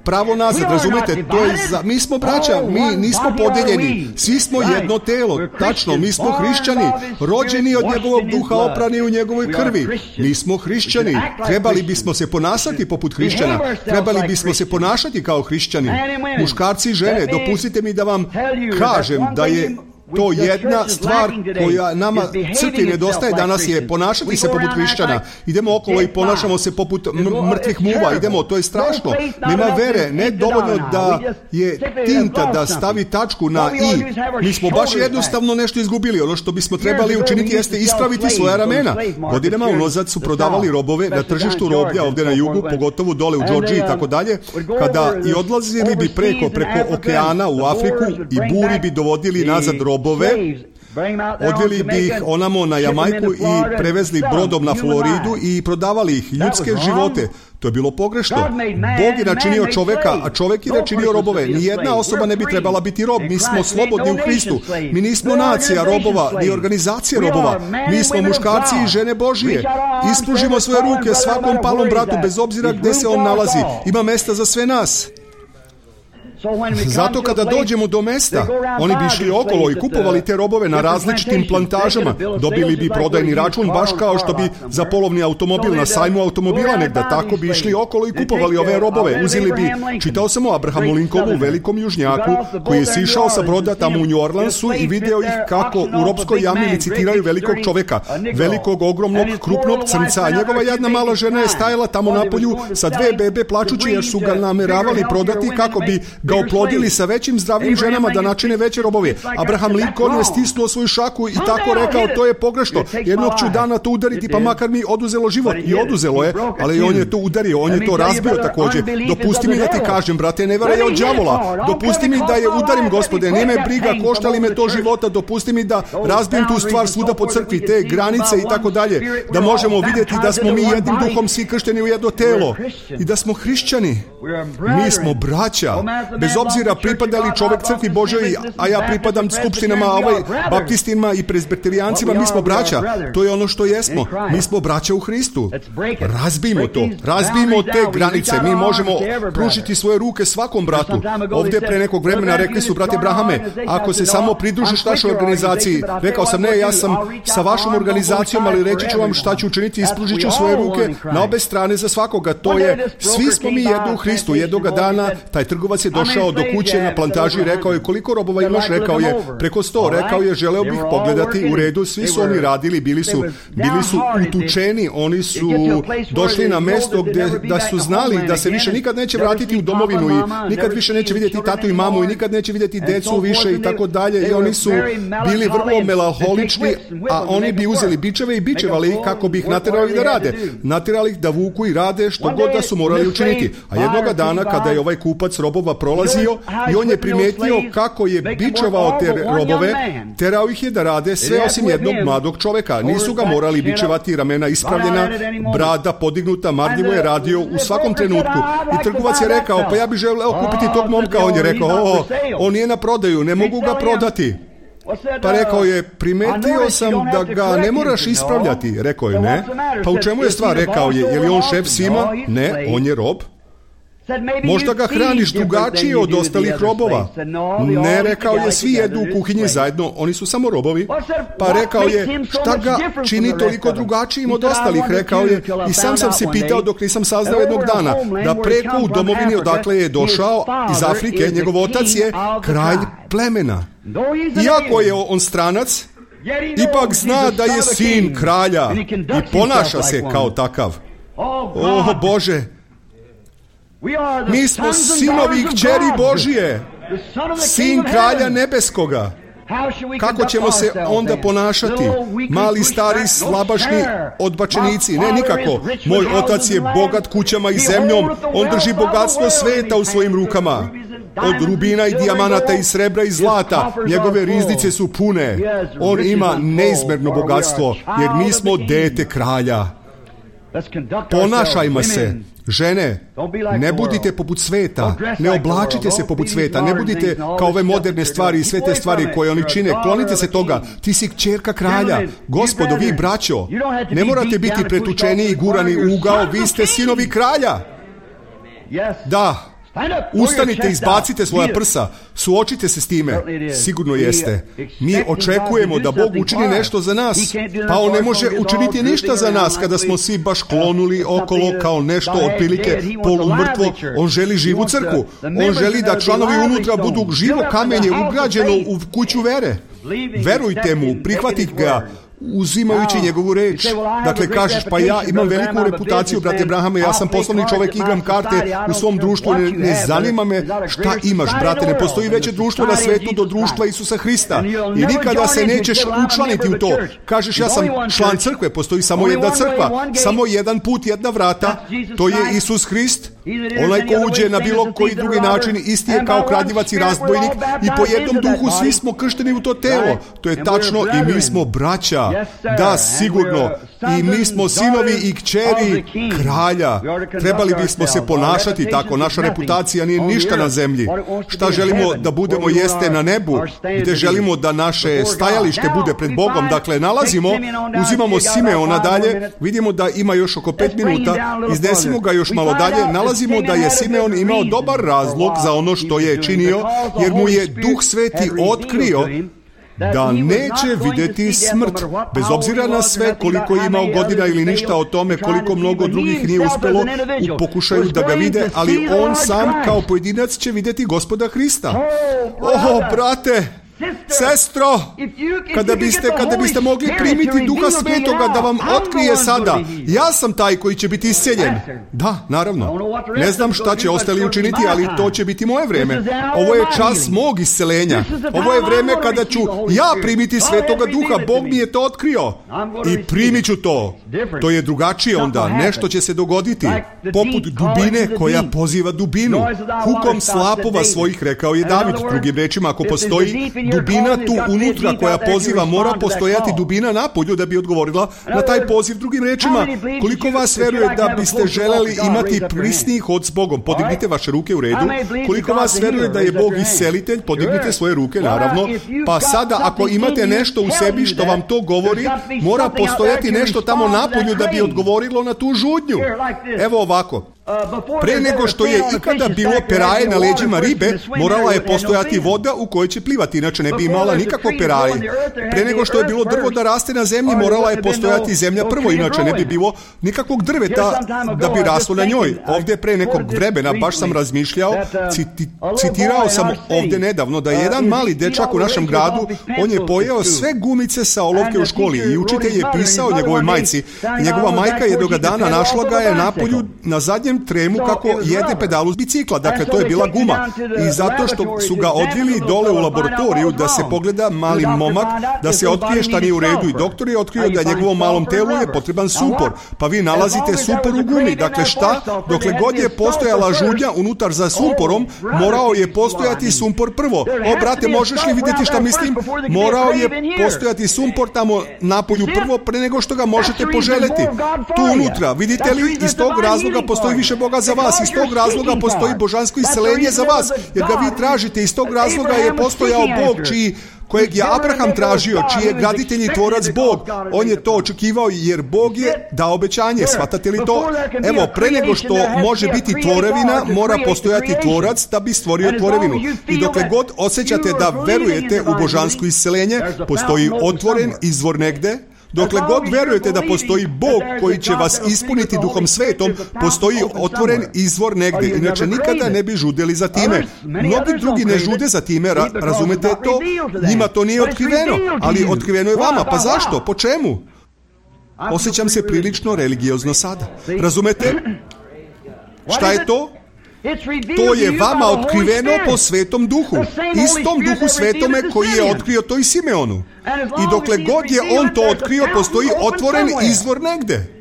pravo nazad, razumete, to je za, mi smo braća, mi nismo podeljeni, svi smo jedno telo, tačno, mi smo hrišćani, rođeni od njegovog duha, oprani u njegovoj krvi, mi smo hrišćani, trebali bismo se ponašati poput hrišćana, trebali bismo se ponašati kao hrišćani, muškarci i žene, dopustite mi da vam kažem da je to jedna stvar koja nama crkvi nedostaje danas je ponašati se poput hrišćana. Idemo okolo i ponašamo se poput mrtvih muva. Idemo, to je strašno. Nema vere, ne dovoljno da je tinta da stavi tačku na i. Mi smo baš jednostavno nešto izgubili. Ono što bismo trebali učiniti jeste ispraviti svoja ramena. Godinama unazad su prodavali robove na tržištu roblja ovdje na jugu, pogotovo dole u Džordžiji i tako dalje. Kada i odlazili bi preko, preko okeana u Afriku i buri bi dovodili nazad robove. Odveli bi ih onamo na Jamajku i prevezli brodom na Floridu i prodavali ih, ljudske živote. To je bilo pogrešno. Bog je načinio čoveka, a čovek je načinio robove. Nijedna osoba ne bi trebala biti rob. Mi smo slobodni u Hristu. Mi nismo nacija robova, ni organizacija robova. Mi smo muškarci i žene Božije. Ispružimo svoje ruke svakom palom bratu, bez obzira gde se on nalazi. Ima mesta za sve nas. Zato kada dođemo do mesta, oni bi išli okolo i kupovali te robove na različitim plantažama. Dobili bi prodajni račun, baš kao što bi za polovni automobil na sajmu automobila negda. Tako bi išli okolo i kupovali ove robove. Uzeli bi, čitao sam o Abrahamu Lincolnu, velikom južnjaku, koji je sišao sa broda tamo u New Orleansu i video ih kako u robskoj jami licitiraju velikog čoveka, velikog, ogromnog, krupnog crnca. A njegova jedna mala žena je stajala tamo na polju sa dve bebe plačući jer su ga nameravali prodati kako bi ga oplodili sa većim zdravim ženama da načine veće robove. Abraham Lincoln je stisnuo svoju šaku i tako rekao, to je pogrešno. Jednog ću dana to udariti, pa makar mi oduzelo život. I oduzelo je, ali on je to udario, on je to razbio također. Dopusti mi da ti kažem, brate, ne vara je od đavola. Dopusti mi da je udarim, Gospode, nije me briga, košta li me to života, dopusti mi da razbijem tu stvar svuda po crkvi, te granice i tako dalje, da možemo vidjeti da smo mi jednim duhom svi kršteni u jedno telo i da smo hrišćani. Mi smo braća. Bez obzira pripadali čovek crkvi Božoj, a ja pripadam skupštinama, ovaj, baptistima i prezbiterijancima, mi smo braća. To je ono što jesmo. Mi smo braća u Hristu. Razbijmo to. Razbijmo te granice. Mi možemo pružiti svoje ruke svakom bratu. Ovdje pre nekog vremena rekli su, brate Brahame, ako se samo pridružiš našoj organizaciji, rekao sam, ne, ja sam sa vašom organizacijom, ali reći ću vam šta ću učiniti, ispružit ću svoje ruke na obe strane za svakoga. To je, svi smo mi jedno u Hristu. Jednoga dana taj trgovac je došao do kuće na plantaži i rekao je, koliko robova imaš? Rekao je, preko sto. Rekao je, želeo bih pogledati. U redu, svi su oni radili, bili su, bili su utučeni, oni su došli na mesto gdje da su znali da se više nikad neće vratiti u domovinu i nikad više neće vidjeti tatu i mamu i nikad neće vidjeti decu više i tako dalje. I oni su bili vrlo melanholični, a oni bi uzeli bičeve i bičevali ih kako bi ih naterali da rade. Naterali ih da vuku i rade što god da su morali učiniti. A jednoga dana kada je ovaj kupac robova prolazio i on je primetio kako je bičevao te robove, terao ih je da rade sve osim jednog mladog čoveka. Nisu ga morali bičevati, ramena ispravljena, brada podignuta, marljivo je radio u svakom trenutku. I trgovac je rekao, pa ja bih želeo kupiti tog momka. On je rekao, o, on nije na prodaju, ne mogu ga prodati. Pa rekao je, primetio sam da ga ne moraš ispravljati. Rekao je, ne. Pa u čemu je stvar? Rekao je, je li on šef svima? Ne, on je rob. Možda ga hraniš drugačije od ostalih robova. Ne, rekao je, svi jedu u kuhinji zajedno, oni su samo robovi. Pa rekao je, šta ga čini toliko drugačijim od ostalih? Rekao je, i sam sam se pitao dok nisam saznao jednog dana, da preko u domovini odakle je došao iz Afrike, njegov otac je kralj plemena. Iako je on stranac, ipak zna da je sin kralja i ponaša se kao takav. O Bože, mi smo sinovi i kćeri Božije, sin kralja nebeskoga. Kako ćemo se onda ponašati? Mali, stari, slabašni odbačenici? Ne, nikako. Moj otac je bogat kućama i zemljom. On drži bogatstvo sveta u svojim rukama. Od rubina i dijamanata i srebra i zlata. Njegove riznice su pune. On ima neizmerno bogatstvo, jer mi smo dete kralja. Ponašajmo se. Žene, ne budite poput sveta, ne oblačite se poput sveta, ne budite kao ove moderne stvari i sve te stvari koje oni čine, klonite se toga. Ti si kćerka kralja, Gospodo, vi braćo, ne morate biti pretučeni i gurani u ugao, vi ste sinovi kralja. Da, ustanite, izbacite svoja prsa, suočite se s time. Sigurno jeste. Mi očekujemo da Bog učini nešto za nas, pa On ne može učiniti ništa za nas kada smo svi baš klonuli okolo kao nešto otprilike polumrtvo. On želi živu crkvu. On želi da članovi unutra budu živo kamenje ugrađeno u kuću vere. Verujte mu, prihvatite ga, uzimajući njegovu reč. Dakle, kažeš, pa ja imam veliku reputaciju, brate Brahame, ja sam poslovni čovjek, igram karte u svom društvu, ne, ne zanima me šta imaš, brate, ne postoji veće društvo na svetu do društva Isusa Hrista i nikada se nećeš učlaniti u to. Kažeš, ja sam član crkve, postoji samo jedna crkva, samo jedan put, jedna vrata, to je Isus Hrist. Onaj ko uđe na bilo koji drugi način isti je kao kradljivac i razbojnik i po jednom duhu svi smo kršteni u to telo. To je tačno i mi smo braća. Da, sigurno. I mi smo sinovi i kćeri kralja. Trebali bismo se ponašati tako. Naša reputacija nije ništa na zemlji. Šta želimo da budemo jeste na nebu, gdje želimo da naše stajalište bude pred Bogom. Dakle, nalazimo, uzimamo Simeona dalje, vidimo da ima još oko pet minuta, iznesimo ga još malo dalje, nalazimo da je Simeon imao dobar razlog za ono što je činio, jer mu je Duh Sveti otkrio da neće vidjeti smrt, bez obzira na sve koliko je imao godina ili ništa o tome koliko mnogo drugih nije uspjelo u pokušaju da ga vide, ali on sam kao pojedinac će vidjeti Gospoda Hrista. O, brate, sestro, kada biste, kada biste mogli primiti Duha Svetoga da vam otkrije sada, ja sam taj koji će biti isceljen. Da, naravno. Ne znam šta će ostali učiniti, ali to će biti moje vrijeme. Ovo je čas mog isceljenja. Ovo je vrijeme kada ću ja primiti Svetoga Duha. Bog mi je to otkrio. I primit ću to. To je drugačije onda. Nešto će se dogoditi. Poput dubine koja poziva dubinu. Hukom slapova svojih, rekao je David. Drugim rečima, ako postoji dubina tu unutra koja poziva, mora postojati dubina napolju da bi odgovorila na taj poziv. Drugim rečima, koliko vas veruje da biste želeli imati prisniji hod s Bogom? Podignite vaše ruke u redu. Koliko vas veruje da je Bog iscelitelj? Podignite svoje ruke, naravno. Pa sada, ako imate nešto u sebi što vam to govori, mora postojati nešto tamo napolju da bi odgovorilo na tu žudnju. Evo ovako. Pre nego što je ikada bilo peraje na leđima ribe, morala je postojati voda u kojoj će plivati, inače ne bi imala nikakvo peraje. Pre nego što je bilo drvo da raste na zemlji, morala je postojati zemlja prvo, inače ne bi bilo nikakvog drveta da bi raslo na njoj. Ovdje pre nekog vremena baš sam razmišljao, citi, citirao sam ovdje nedavno da je jedan mali dečak u našem gradu, on je pojeo sve gumice sa olovke u školi i učitelj je pisao njegovoj majci. Njegova majka jednoga dana našla ga je napolju na zadnjem tremu kako jede pedalu s bicikla. Dakle, to je bila guma. I zato što su ga odvili dole u laboratoriju da se pogleda mali momak, da se otkrije šta nije u redu. I doktor je otkrio da njegovom malom telu je potreban sumpor. Pa vi nalazite sumpor u gumi. Dakle, šta? Dokle god je postojala žudnja unutar za sumporom, morao je postojati sumpor prvo. O, brate, možeš li vidjeti šta mislim? Morao je postojati sumpor tamo napolju prvo, pre nego što ga možete poželjeti. Tu unutra, vidite li, iz tog razloga postoji više Boga za vas, iz tog razloga postoji božansko isceljenje za vas, jer ga vi tražite. Iz tog razloga je postojao Bog čiji kojeg je Abraham tražio, čiji je graditelj i tvorac Bog. On je to očekivao jer Bog je dao obećanje. Shvatate li to? Evo, pre nego što može biti tvorevina, mora postojati tvorac da bi stvorio tvorevinu. I dokle god osjećate da verujete u božansko isceljenje, postoji otvoren izvor negde. Dokle god verujete da postoji Bog koji će vas ispuniti Duhom Svetom, postoji otvoren izvor negdje. Inače nikada ne bi žudeli za time. Mnogi drugi ne žude za time, ra- razumete to? Njima to nije otkriveno, ali otkriveno je vama. Pa zašto? Po čemu? Osjećam se prilično religiozno sada. Razumete? Šta je to? To je vama otkriveno po Svetom Duhu. Istom Duhu Svetome koji je otkrio to i Simeonu. I dokle god je on to otkrio, postoji otvoren izvor negde.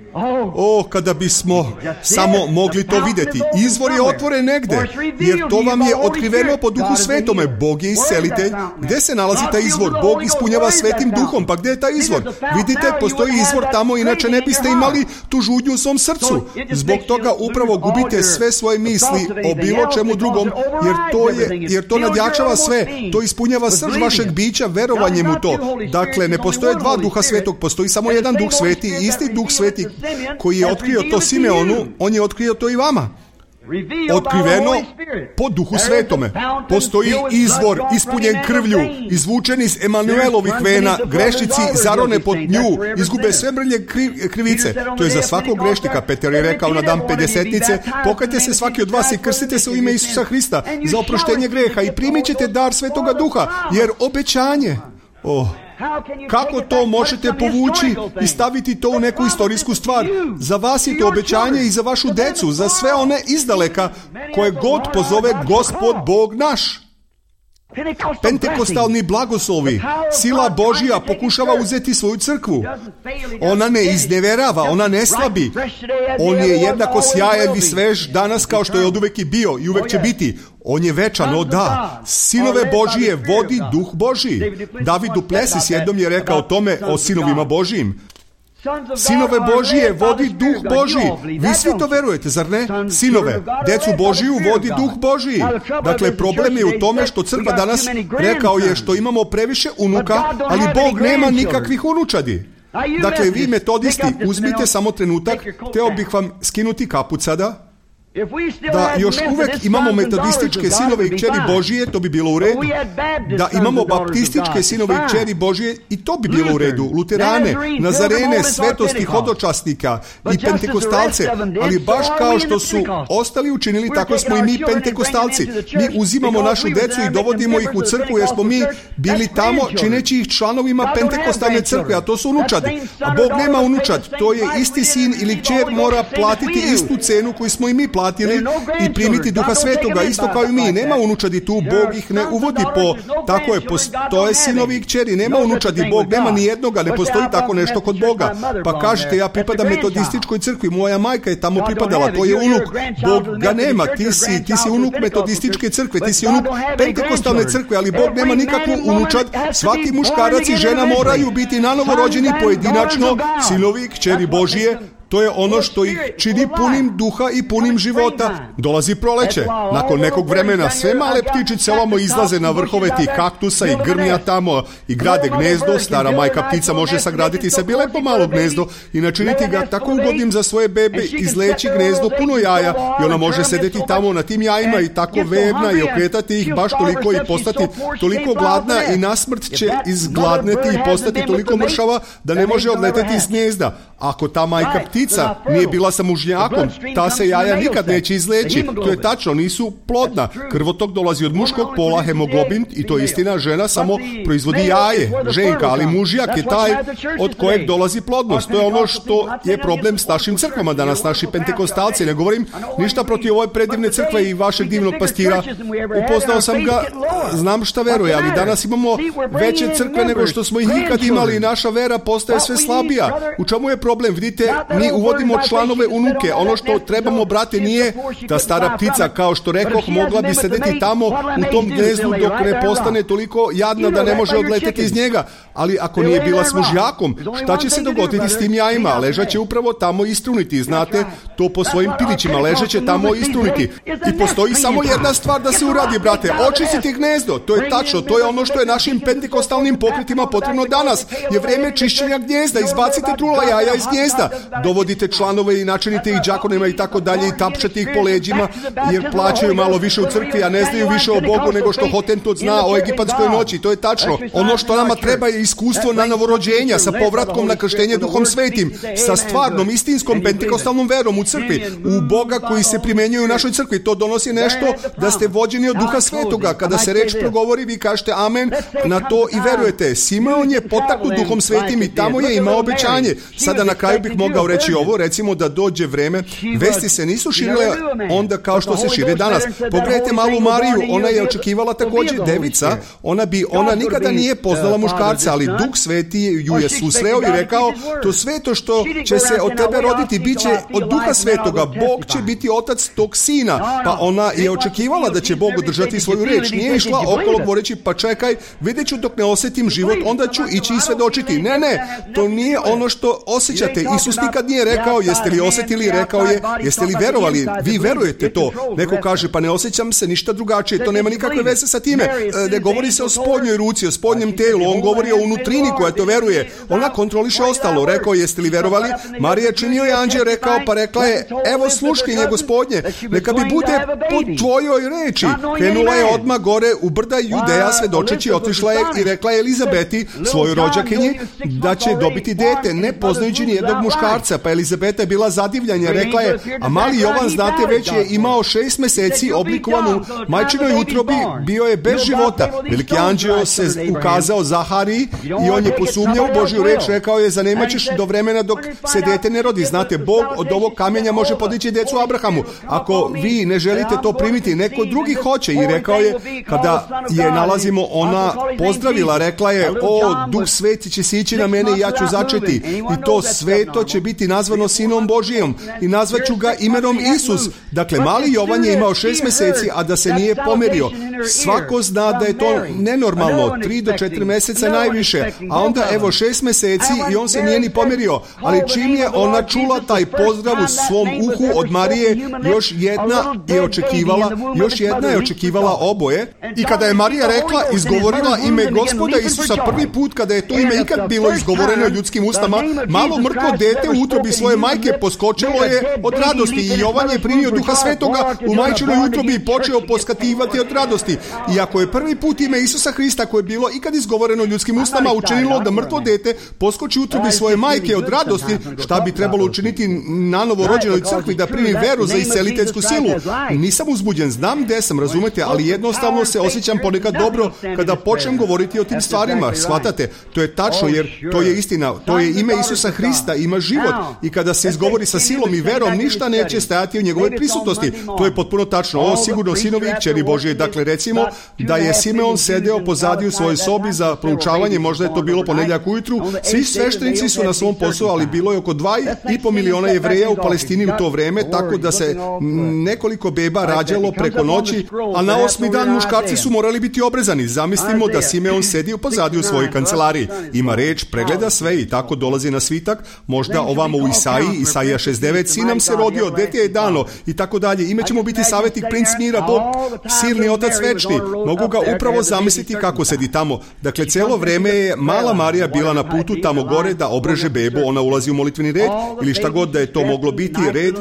O, kada bismo samo mogli to vidjeti. Izvor je otvoren negde, jer to vam je otkriveno po Duhu Svetome. Bog je iscelitelj. Gdje se nalazi taj izvor? Bog ispunjava Svetim Duhom. Pa gdje je taj izvor? Vidite, postoji izvor tamo, inače ne biste imali tu žudnju u svom srcu. Zbog toga upravo gubite sve svoje misli o bilo čemu drugom, jer to, je, jer to nadjačava sve. To ispunjava srž vašeg bića verovanjem u to. Dakle, ne postoje dva Duha Svetog, postoji samo jedan Duh Sveti, isti Duh Sveti koji je otkrio to Simeonu, on je otkrio to i vama. Otkriveno po Duhu Svetome. Postoji izvor ispunjen krvlju, izvučen iz Emanuelovih vena. Grešnici zarone pod nju, izgube sve mrlje krivice. To je za svakog grešnika. Petar je rekao na dan pedesetnice: pokajte se svaki od vas i krstite se u ime Isusa Hrista za oproštenje greha i primit ćete dar Svetoga Duha, jer obećanje... Oh. Kako to možete povući i staviti to u neku istorijsku stvar? Za vas je to obećanje i za vašu decu, za sve one izdaleka koje god pozove Gospod Bog naš. Pentekostalni blagoslovi, sila Božja pokušava uzeti svoju crkvu. Ona ne izneverava, ona ne slabi. On je jednako sjajan i svež danas kao što je oduvek i bio i uvek će biti. On je večan, o da. Sinove Božije vodi Duh Božji. David Duplessis jednom je rekao o tome o sinovima Božijim. Sinove Božije vodi Duh Božji. Vi svi to verujete, zar ne? Sinove, decu Božiju vodi Duh Božji. Dakle, problem je u tome što crkva danas, rekao je, što imamo previše unuka, ali Bog nema nikakvih unučadi. Dakle, vi metodisti, uzmite samo trenutak, hteo bih vam skinuti kaput sada. Da još uvek imamo metodističke sinove i kćeri Božije, to bi bilo u redu. Da imamo baptističke sinove i kćeri Božije, i to bi bilo u redu. Luterane, Nazarene, svetosti, hodočasnika i pentekostalce, ali baš kao što su ostali učinili, tako smo i mi pentekostalci. Mi uzimamo našu decu i dovodimo ih u crkvu jer smo mi bili tamo čineći ih članovima pentekostalne crkve, a to su unučadi. A Bog nema unučad, to je isti sin ili kćer mora platiti istu cenu koju smo i mi platili i primiti Duha Svetoga, isto kao i mi. Nema unučadi tu, Bog ih ne uvodi po, tako je, postoje sinovi i kćeri, nema unučadi, Bog nema ni jednoga, ne postoji tako nešto kod Boga. Pa kažete, ja pripadam metodističkoj crkvi, moja majka je tamo pripadala, to je unuk, Bog ga nema, ti si, ti si unuk metodističke crkve, ti si unuk pentekostalne crkve, ali Bog nema nikakvu unučad, svaki muškarac i žena moraju biti nanovo rođeni pojedinačno, sinovi i kćeri Božije. To je ono što ih čini punim duha i punim života. Dolazi proleće. Nakon nekog vremena sve male ptičice ovamo izlaze na vrhove tih kaktusa i grmija tamo i grade gnezdo. Stara majka ptica može sagraditi sebi lepo malo gnezdo i načiniti ga tako ugodnim za svoje bebe, izleći gnezdo puno jaja i ona može sedeti tamo na tim jajima i tako verna i okretati ih baš toliko i postati toliko gladna i nasmrt će izgladneti i postati toliko mršava da ne može odleteti iz gnezda. Ako ta majka ptica nije bila sa mužnjakom, ta se jaja nikad neće izleći. To je tačno, nisu plodna. Krvotok dolazi od muškog pola, hemoglobin, i to je istina, žena samo proizvodi jaje, ženka, ali mužjak je taj od kojeg dolazi plodnost. To je ono što je problem s našim crkvama danas, naši pentekostalci. Ne govorim ništa protiv ove predivne crkve i vašeg divnog pastira. Upoznao sam ga, znam šta veruje, ali danas imamo veće crkve nego što smo ih ikad imali i naša vera postaje sve slabija. U čemu je problem? Vidite, mi uvodimo članove unuke. Ono što trebamo, brate, nije ta stara ptica, kao što rekoh, mogla bi sedeti tamo u tom gnezdu dok ne postane toliko jadna da ne može odleteti iz njega. Ali ako nije bila s mužjakom, šta će se dogoditi s tim jajima? Ležaće upravo tamo istruniti. Znate, to po svojim pilićima ležeće tamo istruniti. I postoji samo jedna stvar da se uradi, brate. Očistiti gnezdo. To je tačno. To je ono što je našim pentekostalnim pokretima potrebno danas. Je vreme čišćenja gnjezda. Izbacite trula jaja iz gnjezda. Dovodite članove i načinite ih đakonima i tako dalje i tapšete ih po leđima jer plaćaju malo više u crkvi, a ne znaju više o Bogu nego što Hotentot zna o egipatskoj noći. To je tačno. Ono što nama treba je iskustvo na novorođenja sa povratkom na krštenje Duhom Svetim, sa stvarnom, istinskom pentekostalnom verom u crkvi, u Boga koji se primenjuje u našoj crkvi. To donosi nešto da ste vođeni od Duha Svetoga. Kada se reč progovori, vi kažete amen na to i verujete. Simeon je potaknut Duhom Svetim i tamo je imao obećanje. Sada na kraju bih mogao reći ovo, recimo da dođe vreme, vesti se nisu širile onda kao što se šire danas. Pogledajte malu Mariju, ona je očekivala također devica, ona bi, ona nikada nije poznala muškarca, ali Duh Sveti ju je susreo i rekao, to sveto što će se od tebe roditi, bit će od Duha Svetoga, Bog će biti otac tog sina, pa ona je očekivala da će Bog održati svoju reč, nije išla okolo govoreći, pa čekaj, vidjet ću dok ne osjetim život, onda ću ići i svedočiti. Ne, ne, to nije ono što osjećate. Isus nikad nije rekao, jeste li osjetili, rekao je, jeste li verovali, vi verujete to. Neko kaže, pa ne osjećam se ništa drugačije, to nema nikakve veze sa time. Ne govori se o spodnjoj ruci, o spodnjem telu, on govori o unutrini koja to veruje. Ona kontroliše ostalo, rekao, jeste li verovali? Marija činio je anđeo, rekao, pa rekla je, evo sluškinje Gospodnje, neka bi bude po tvojoj reči. Krenula je odmah gore u brda Judeja, svedočeći, otišla je i rekla je Elizabeti, svojoj rođakinji, da će dobiti dete, ne poznajući rođenje jednog muškarca, pa Elizabeta je bila zadivljanja, rekla je, a mali Jovan, znate, već je imao šest meseci oblikovanu majčinoj utrobi, bio je bez života. Veliki anđeo se ukazao Zahariji i on je posumnjao u Božju reč, rekao je, zanemaćeš do vremena dok se dete ne rodi. Znate, Bog od ovog kamenja može podići decu Abrahamu. Ako vi ne želite to primiti, neko drugi hoće. I rekao je, kada je nalazimo, ona pozdravila, rekla je, o, Duh Sveti će sići na mene i ja ću začeti. I to sveto će biti nazvano Sinom Božijom i nazvaću ga imenom Isus. Dakle, mali Jovan je imao šest meseci, a da se nije pomerio. Svako zna da je to nenormalno, tri do četiri meseca najviše, a onda evo šest meseci i on se nije ni pomerio. Ali čim je ona čula taj pozdrav u svom uhu od Marije, još jedna je očekivala, još jedna je očekivala oboje. I kada je Marija rekla, izgovorila ime Gospoda Isusa prvi put, kada je to ime ikad bilo izgovoreno ljudskim ustama, malo mrtvo dete u utrobi svoje majke poskočilo je od radosti i Jovan je primio Duha Svetoga u majčinoj utrobi i počeo poskativati od radosti. I ako je prvi put ime Isusa Hrista koje je bilo ikad izgovoreno ljudskim ustama učinilo da mrtvo dete poskoči u utrobi svoje majke od radosti, šta bi trebalo učiniti na novorođenoj crkvi da primi veru za isceliteljsku silu? Nisam uzbuđen, znam gde sam, razumete, ali jednostavno se osjećam ponekad dobro kada počnem govoriti o tim stvarima. Shvatate? To je tačno, jer to je istina. To je ime Isusa Hrista, ima život. I kada se izgovori sa silom i verom, ništa neće stajati u njegovoj prisutnosti. To je potpuno tačno. Ovo sigurno sinovi i kćeri Božije. Dakle, recimo da je Simeon sedeo pozadi u svojoj sobi za proučavanje, možda je to bilo ponedjeljak ujutru. Svi sveštenici su na svom poslu, ali bilo je oko dva i po miliona Jevreja u Palestini u to vreme, tako da se nekoliko beba rađalo preko noći, a na osmi dan muškarci su morali biti obrezani. Zamislimo da Simeon sedi pozadi u svojoj kancelariji. Ima reč, pregleda sve i tako dolazi na svitak, možda ovamo u Isaiji, Isaija šezdeset devet, sin nam se rodio, dete je dano i tako dalje. Ime ćemo biti savjetnik, princ mira, Bog, silni otac večni. Mogu ga upravo zamisliti kako sedi tamo. Dakle, celo vreme je mala Marija bila na putu tamo gore da obreže bebu, ona ulazi u molitveni red ili šta god da je to moglo biti, red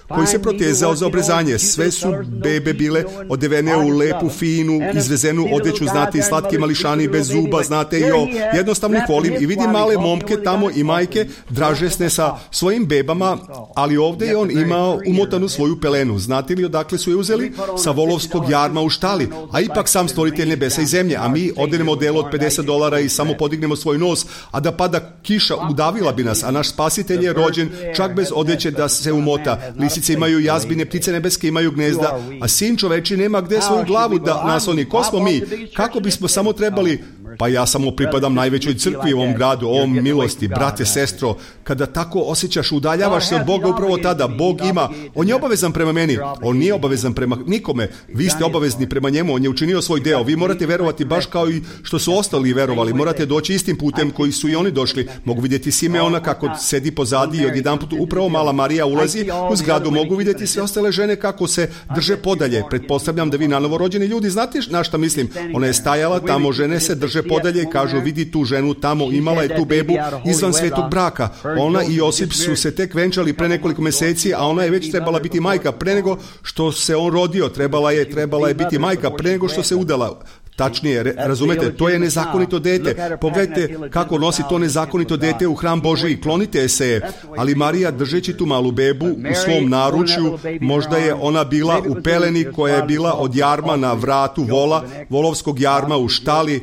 koji se protezao za obrezanje. Sve su bebe bile odevene u lepu, finu, izvezenu odeću, znate, i slatki mališani bez zuba, znate, i o jednostavni folim, i vidim male momke tamo i majke dražesne sa svojim bebama, ali ovdje je on imao umotanu svoju pelenu. Znate li odakle su je uzeli? Sa volovskog jarma u štali, a ipak sam stvoritelj nebesa i zemlje, a mi odenemo delo od pedeset dolara i samo podignemo svoj nos, a da pada kiša udavila bi nas, a naš spasitelj je rođen čak bez odeće da se umota. Lisice imaju jazbine, ptice nebeske imaju gnezda, a sin čoveči nema gde svoju glavu da nasloni. Ko smo mi? Kako bismo samo trebali? Pa ja samo pripadam najvećoj crkvi u ovom gradu, ovom milosti, brate, sestro. Kada tako osjećaš, udaljavaš se od Boga upravo tada. Bog ima, on je obavezan prema meni, on nije obavezan prema nikome. Vi ste obavezni prema njemu, on je učinio svoj deo. Vi morate verovati baš kao i što su ostali verovali. Morate doći istim putem koji su i oni došli. Mogu vidjeti Simeona kako sedi pozadi i odjedanput upravo mala Marija ulazi u zgradu. Mogu vidjeti sve ostale žene kako se drže podalje. Pretpostavljam da vi na novorođeni ljudi znate na šta mislim. Ona je stajala tamo, žene se drže podalje i kažu, vidi tu ženu tamo, imala je tu bebu izvan svetog braka. Ona i Josip su se tek venčali pre nekoliko meseci, a ona je već trebala biti majka pre nego što se on rodio. Trebala je, trebala je biti majka pre nego što se udala. Tačnije, razumete, to je nezakonito dete. Pogledajte kako nosi to nezakonito dete u hram Božiji, klonite se je. Ali Marija, držeći tu malu bebu u svom naručju, možda je ona bila u peleni koja je bila od jarma na vratu vola, volovskog jarma u štali.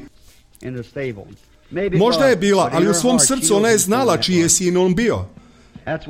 Možda je bila, ali u svom srcu ona je znala čiji je sin on bio.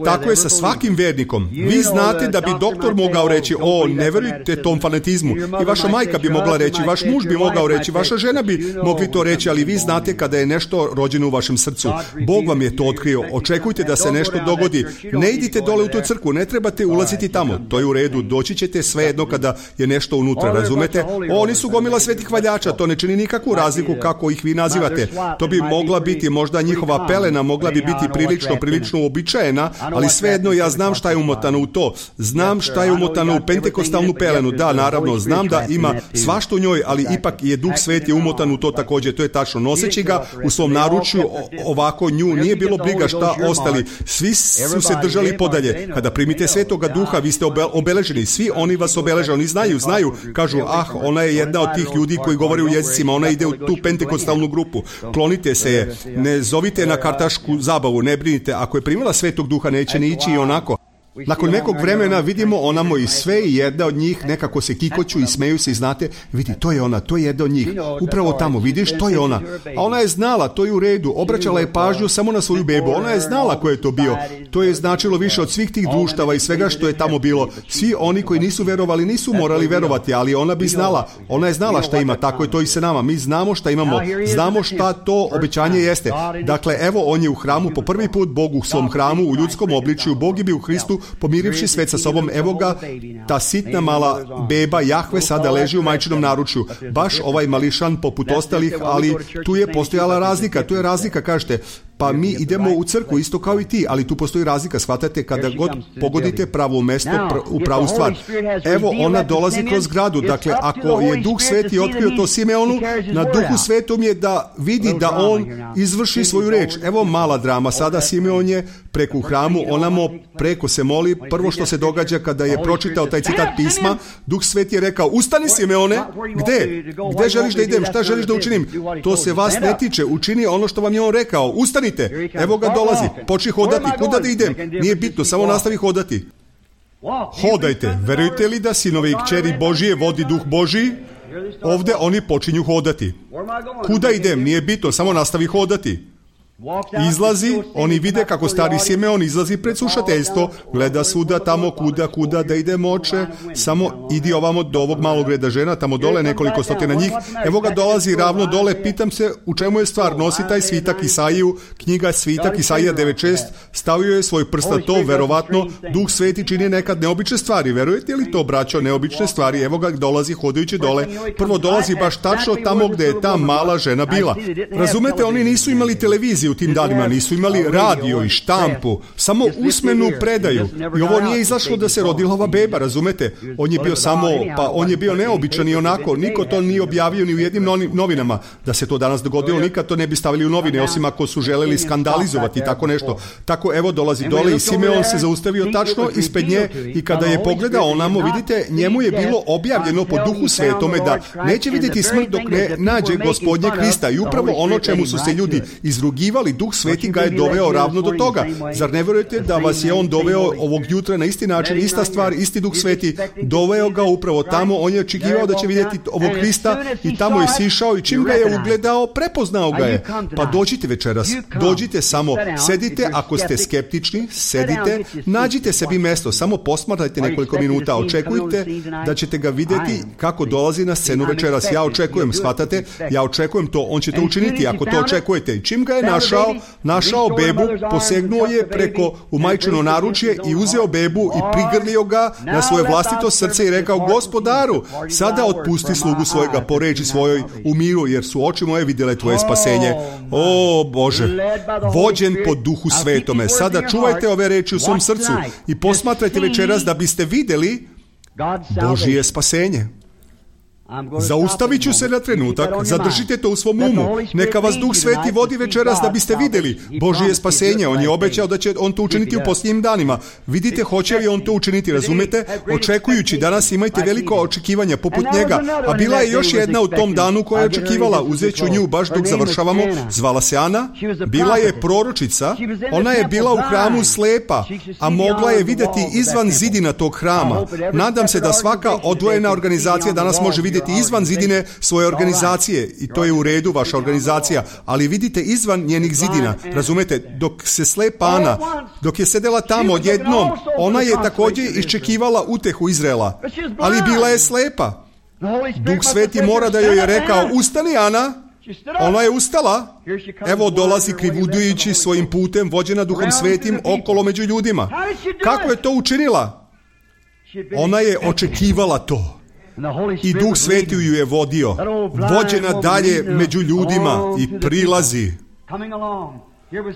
Tako je sa svakim vernikom. Vi znate da bi doktor mogao reći, o, ne verujte tom fanatizmu. I vaša majka bi mogla reći, vaš muž bi mogao reći, vaša žena bi mogli to reći, ali vi znate kada je nešto rođeno u vašem srcu. Bog vam je to otkrio. Očekujte da se nešto dogodi. Ne idite dole u tu crkvu, ne trebate ulaziti tamo. To je u redu. Doći ćete svejedno kada je nešto unutra, razumete? Oni su gomila svetih hvaljača, to ne čini nikakvu razliku kako ih vi nazivate. To bi mogla biti možda njihova pelena, mogla bi biti prilično, prilično uobičajena, Ana, ali svejedno ja znam šta je umotano u to. Znam šta je umotano u pentekostalnu pelenu. Da, naravno, znam da ima svašta u njoj, ali ipak je Duh Sveti umotan u to također. To je tačno. Noseći ga u svom naručju, ovako nju nije bilo briga šta ostali. Svi su se držali podalje. Kada primite Svetoga Duha, vi ste obeleženi. Svi oni vas obeleže. Oni znaju, znaju. Kažu, ah, ona je jedna od tih ljudi koji govore u jezicima. Ona ide u tu pentekostalnu grupu. Klonite se je. Ne zovite na kartašku zabavu. Ne brinite. Ako je primila Svetog Duha, neće ni ići i onako. Nakon nekog vremena vidimo onamo i sve i jedna od njih nekako se kikoću i smeju se i znate, vidi, to je ona, to je jedna od njih. Upravo tamo, vidiš, to je ona. A ona je znala, to je u redu, obraćala je pažnju samo na svoju bebu. Ona je znala ko je to bio. To je značilo više od svih tih društava i svega što je tamo bilo. Svi oni koji nisu verovali, nisu morali verovati, ali ona bi znala. Ona je znala šta ima, tako je to i sa nama. Mi znamo šta imamo, znamo šta to obećanje jeste. Dakle, evo, on je u hramu po prvi put, Bog u svom hramu, u ljudskom obličju, Bog je bio u Hristu, pomirivši svet sa sobom, evo ga, ta sitna mala beba Jahve sada leži u majčinom naručju. Baš ovaj mališan poput ostalih, ali tu je postojala razlika, tu je razlika, kažete, pa mi idemo u crkvu isto kao i ti, ali tu postoji razlika, shvatate, kada god pogodite pravo mesto, pr- u pravu stvar. Evo, ona dolazi kroz gradu, dakle, ako je Duh Sveti otkrio to Simeonu, na Duhu Svetom je da vidi da on izvrši svoju reč. Evo mala drama, sada Simeon je preko u hramu, onamo preko se moli, prvo što se događa kada je pročitao taj citat pisma, Duh Sveti je rekao, ustani Simeone, gde? Gde želiš da idem? Šta želiš da učinim? To se vas ne tiče, učini ono što vam je on rekao, ustani. Evo ga dolazi, počni hodati, kuda da idem? Nije bitno, samo nastavi hodati. Hodajte, verujete li da sinove i kćeri Božije vodi Duh Božiji? Ovdje oni počinju hodati. Kuda idem? Nije bitno, samo nastavi hodati. Izlazi, oni vide kako stari Simeon izlazi pred slušateljstvo, gleda svuda tamo kuda, kuda da ide moće, samo idi ovamo do ovog malog reda žena, tamo dole nekoliko stotina njih, evo ga dolazi ravno dole, pitam se u čemu je stvar, nosi taj svitak Isaiju, knjiga svitak Isaija devet šest, stavio je svoj prst na to, verovatno, Duh Sveti čini nekad neobične stvari, verujete li to, braćo, neobične stvari, evo ga dolazi hodajući dole, prvo dolazi baš tačno tamo gdje je ta mala žena bila. Razumete, oni nisu imali televiziju u tim danima, nisu imali radio i štampu, samo usmenu predaju. I ovo nije izašlo da se rodila ova beba, razumete? On je bio samo, pa on je bio neobičan i onako, niko to nije objavio ni u jednim novinama. Da se to danas dogodilo, nikad to ne bi stavili u novine, osim ako su želeli skandalizovati, tako nešto. Tako, evo, dolazi dole i Simeon se zaustavio tačno ispred nje i kada je pogledao onamo, vidite, njemu je bilo objavljeno po Duhu Svetome da neće vidjeti smrt dok ne nađe Gospodnje Krista i upravo ono čemu su se ljudi izrugivali, Duh Sveti ga je doveo ravno do toga. Zar ne vjerujete da vas je on doveo ovog jutra na isti način, ista stvar, isti Duh Sveti, doveo ga upravo tamo, on je očekivao da će vidjeti ovog Krista i tamo je sišao i čim ga je ugledao, prepoznao ga je. Pa dođite večeras, dođite samo, sedite, ako ste skeptični, sedite, nađite sebi mesto, samo posmatrajte nekoliko minuta, očekujte da ćete ga vidjeti kako dolazi na scenu večeras. Ja očekujem, shvatate, ja očekujem to, on će to učiniti ako to očekujete. I čim ga je našao, našao bebu, posegnuo je preko u majčino naručje i uzeo bebu i prigrlio ga na svoje vlastito srce i rekao, Gospodaru, sada otpusti slugu svojega po reči svojoj u miru, jer su oči moje vidjele tvoje spasenje. O Bože, vođen po Duhu Svetome, sada čuvajte ove reči u svom srcu i posmatrajte večeras da biste vidjeli Božije spasenje. Zaustavit ću se na trenutak, zadržite to u svom umu. Neka vas Duh Sveti vodi večeras da biste vidjeli Božije spasenje. On je obećao da će on to učiniti u posljednjim danima. Vidite, hoće li on to učiniti, razumete? Očekujući, danas imajte veliko očekivanja poput njega. A bila je još jedna u tom danu koja je očekivala, uzet ću nju baš dok završavamo. Zvala se Ana, bila je proročica, ona je bila u hramu slepa, a mogla je vidjeti izvan zidina tog hrama. Nadam se da svaka odvojena organizacija danas može vidjeti izvan zidine svoje organizacije i to je u redu, vaša organizacija, ali vidite izvan njenih zidina, razumete, dok se slepa Ana, dok je sedela tamo odjednom, ona je također iščekivala utehu Izraela, ali bila je slepa. Duh Sveti mora da joj je rekao, ustani Ana, ona je ustala, evo dolazi krivudujući svojim putem, vođena Duhom Svetim okolo među ljudima. Kako je to učinila? Ona je očekivala to. I Duh Sveti ju je vodio, vođena dalje među ljudima i prilazi.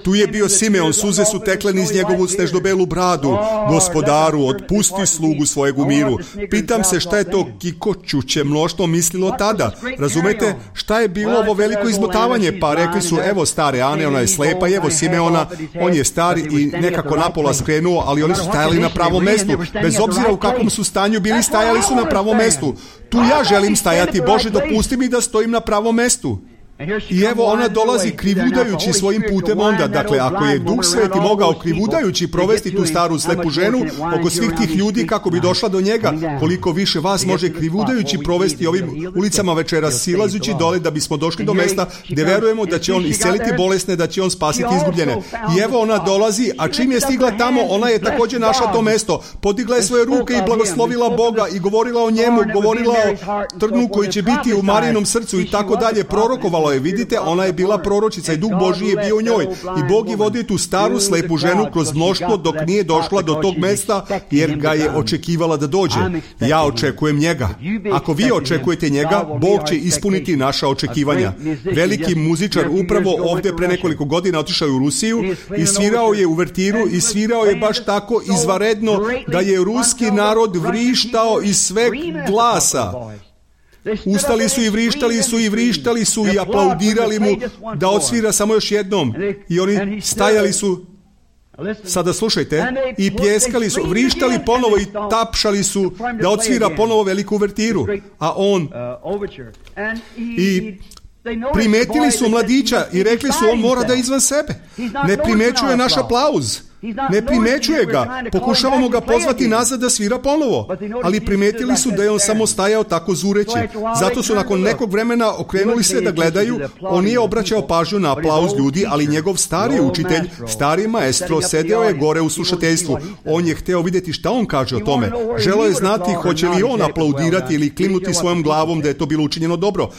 Tu je bio Simeon, suze su tekle niz njegovu snežno-belu bradu. Gospodaru, otpusti slugu svojeg u miru. Pitam se šta je to kikoćuće mnoštvo mislilo tada. Razumete, šta je bilo ovo veliko izmotavanje? Pa rekli su, evo stare Ane, ona je slepa, i evo Simeona, on je star i nekako napola skrenuo, ali oni su stajali na pravom mestu. Bez obzira u kakvom su stanju bili, stajali su na pravom mestu. Tu ja želim stajati, Bože, dopusti mi da stojim na pravom mestu. I evo ona dolazi krivudajući svojim putem onda. Dakle, ako je Duh Sveti mogao krivudajući provesti tu staru slepu ženu oko svih tih ljudi kako bi došla do njega, koliko više vas može krivudajući provesti ovim ulicama večeras, silazući dole da bismo došli do mesta gdje verujemo da će on isceliti bolesne, da će on spasiti izgubljene. I evo ona dolazi, a čim je stigla tamo, ona je također našla to mesto. Podigla je svoje ruke i blagoslovila Boga i govorila o njemu, govorila o trnu koji će biti u Marijinom srcu i tako dalje, prorokovala je. Vidite, ona je bila proročica i Duh Božji je bio u njoj. I Bog je vodio tu staru slepu ženu kroz mnoštvo dok nije došla do tog mesta, jer ga je očekivala da dođe. Ja očekujem njega. Ako vi očekujete njega, Bog će ispuniti naša očekivanja. Veliki muzičar upravo ovdje pre nekoliko godina otišao u Rusiju i svirao je uvertiru i svirao je baš tako izvanredno da je ruski narod vrištao iz sveg glasa. Ustali su i vrištali su i vrištali su i aplaudirali mu da odsvira samo još jednom. I oni stajali su, sada slušajte, i pljeskali su, vrištali ponovo i tapšali su da odsvira ponovo veliku uvertiru. A on... I primetili su mladića i rekli su, on mora da je izvan sebe. Ne primećuje naš aplauz. Ne primećuje ga, pokušavamo ga pozvati nazad da svira ponovo, ali primetili su da je on samo stajao tako zureći. Zato su nakon nekog vremena okrenuli se da gledaju, on nije obraćao pažnju na aplauz ljudi, ali njegov stari učitelj, stari maestro, sedeo je gore u slušateljstvu. On je hteo vidjeti šta on kaže o tome. Želeo je znati hoće li on aplaudirati ili klimnuti svojom glavom da je to bilo učinjeno dobro.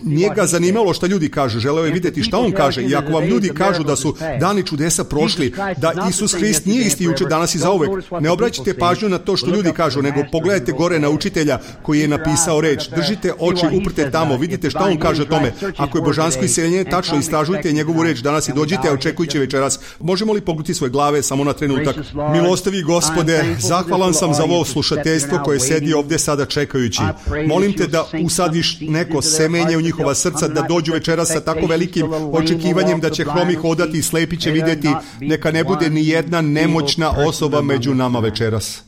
Nije ga zanimalo šta ljudi kažu, želeo je vidjeti šta on kaže. I ako vam ljudi kažu da su dani čudesa prošli, da Isus Isus Hrist nije isti jučer, danas i zauvek. Ne obraćajte pažnju na to što ljudi kažu, nego pogledajte gore na učitelja koji je napisao reč. Držite oči uprte tamo, vidite šta on kaže o tome. Ako je božansko iseljenje tačno, istražujte njegovu reč danas i dođite, očekujući večeras. Možemo li pognuti svoje glave samo na trenutak? Milostivi Gospode, zahvalan sam za ovo slušateljstvo koje sedi ovdje sada čekajući. Molim te da usadiš neko semenje u njihova srca, da dođu večeras sa tako velikim očekivanjem da će hromi hodati i slepi će vidjeti. Neka ne bude ni jedna nemoćna osoba među nama večeras.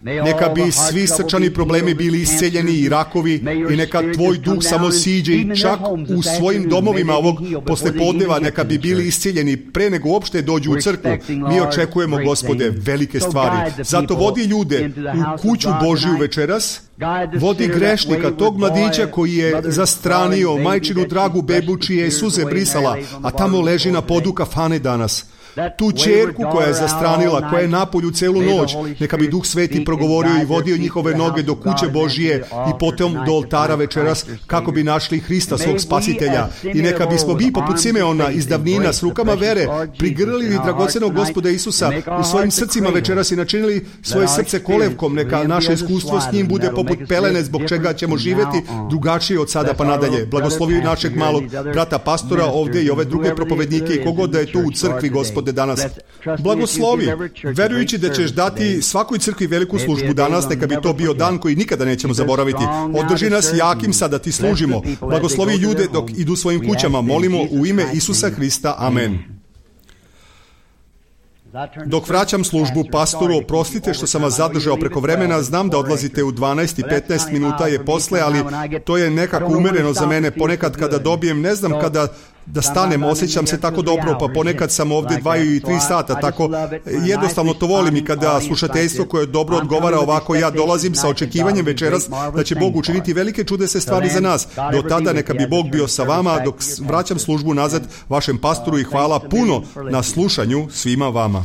Neka bi svi srčani problemi bili isceljeni i rakovi i neka tvoj duh samo siđe i čak u svojim domovima ovog poslepodneva neka bi bili isceljeni pre nego uopšte dođu u crkvu. Mi očekujemo, Gospode, velike stvari. Zato vodi ljude u kuću Božiju večeras, vodi grešnika, tog mladića koji je zastranio majčinu dragu bebu čije je suze brisala, a tamo leži na podu kafane danas. Tu ćerku koja je zastranila, koja je napolju celu noć, neka bi Duh Sveti progovorio i vodio njihove noge do kuće Božije i potom do oltara večeras kako bi našli Hrista svog spasitelja. I neka bismo mi poput Simeona iz davnina s rukama vere prigrlili dragocenog Gospoda Isusa u svojim srcima večeras i načinili svoje srce kolevkom. Neka naše iskustvo s njim bude poput pelene zbog čega ćemo živjeti drugačije od sada pa nadalje. Blagoslovi našeg malog brata pastora ovdje i ove druge propovednike i kogod da je tu u crkvi, Gospode, danas. Blagoslovi, verujući da ćeš dati svakoj crkvi veliku službu danas, neka bi to bio dan koji nikada nećemo zaboraviti. Održi nas jakim sada ti služimo. Blagoslovi ljude dok idu svojim kućama. Molimo u ime Isusa Hrista. Amen. Dok vraćam službu pastoru, oprostite što sam vas zadržao preko vremena, znam da odlazite u dvanaest i petnaest minuta je posle, ali to je nekako umereno za mene. Ponekad kada dobijem, ne znam kada da stanem, osjećam se tako dobro, pa ponekad sam ovdje dva i tri sata, tako jednostavno to volim i kada slušateljstvo koje dobro odgovara ovako, ja dolazim sa očekivanjem večeras da će Bog učiniti velike čudesne stvari za nas. Do tada neka bi Bog bio sa vama dok vraćam službu nazad vašem pastoru i hvala puno na slušanju svima vama.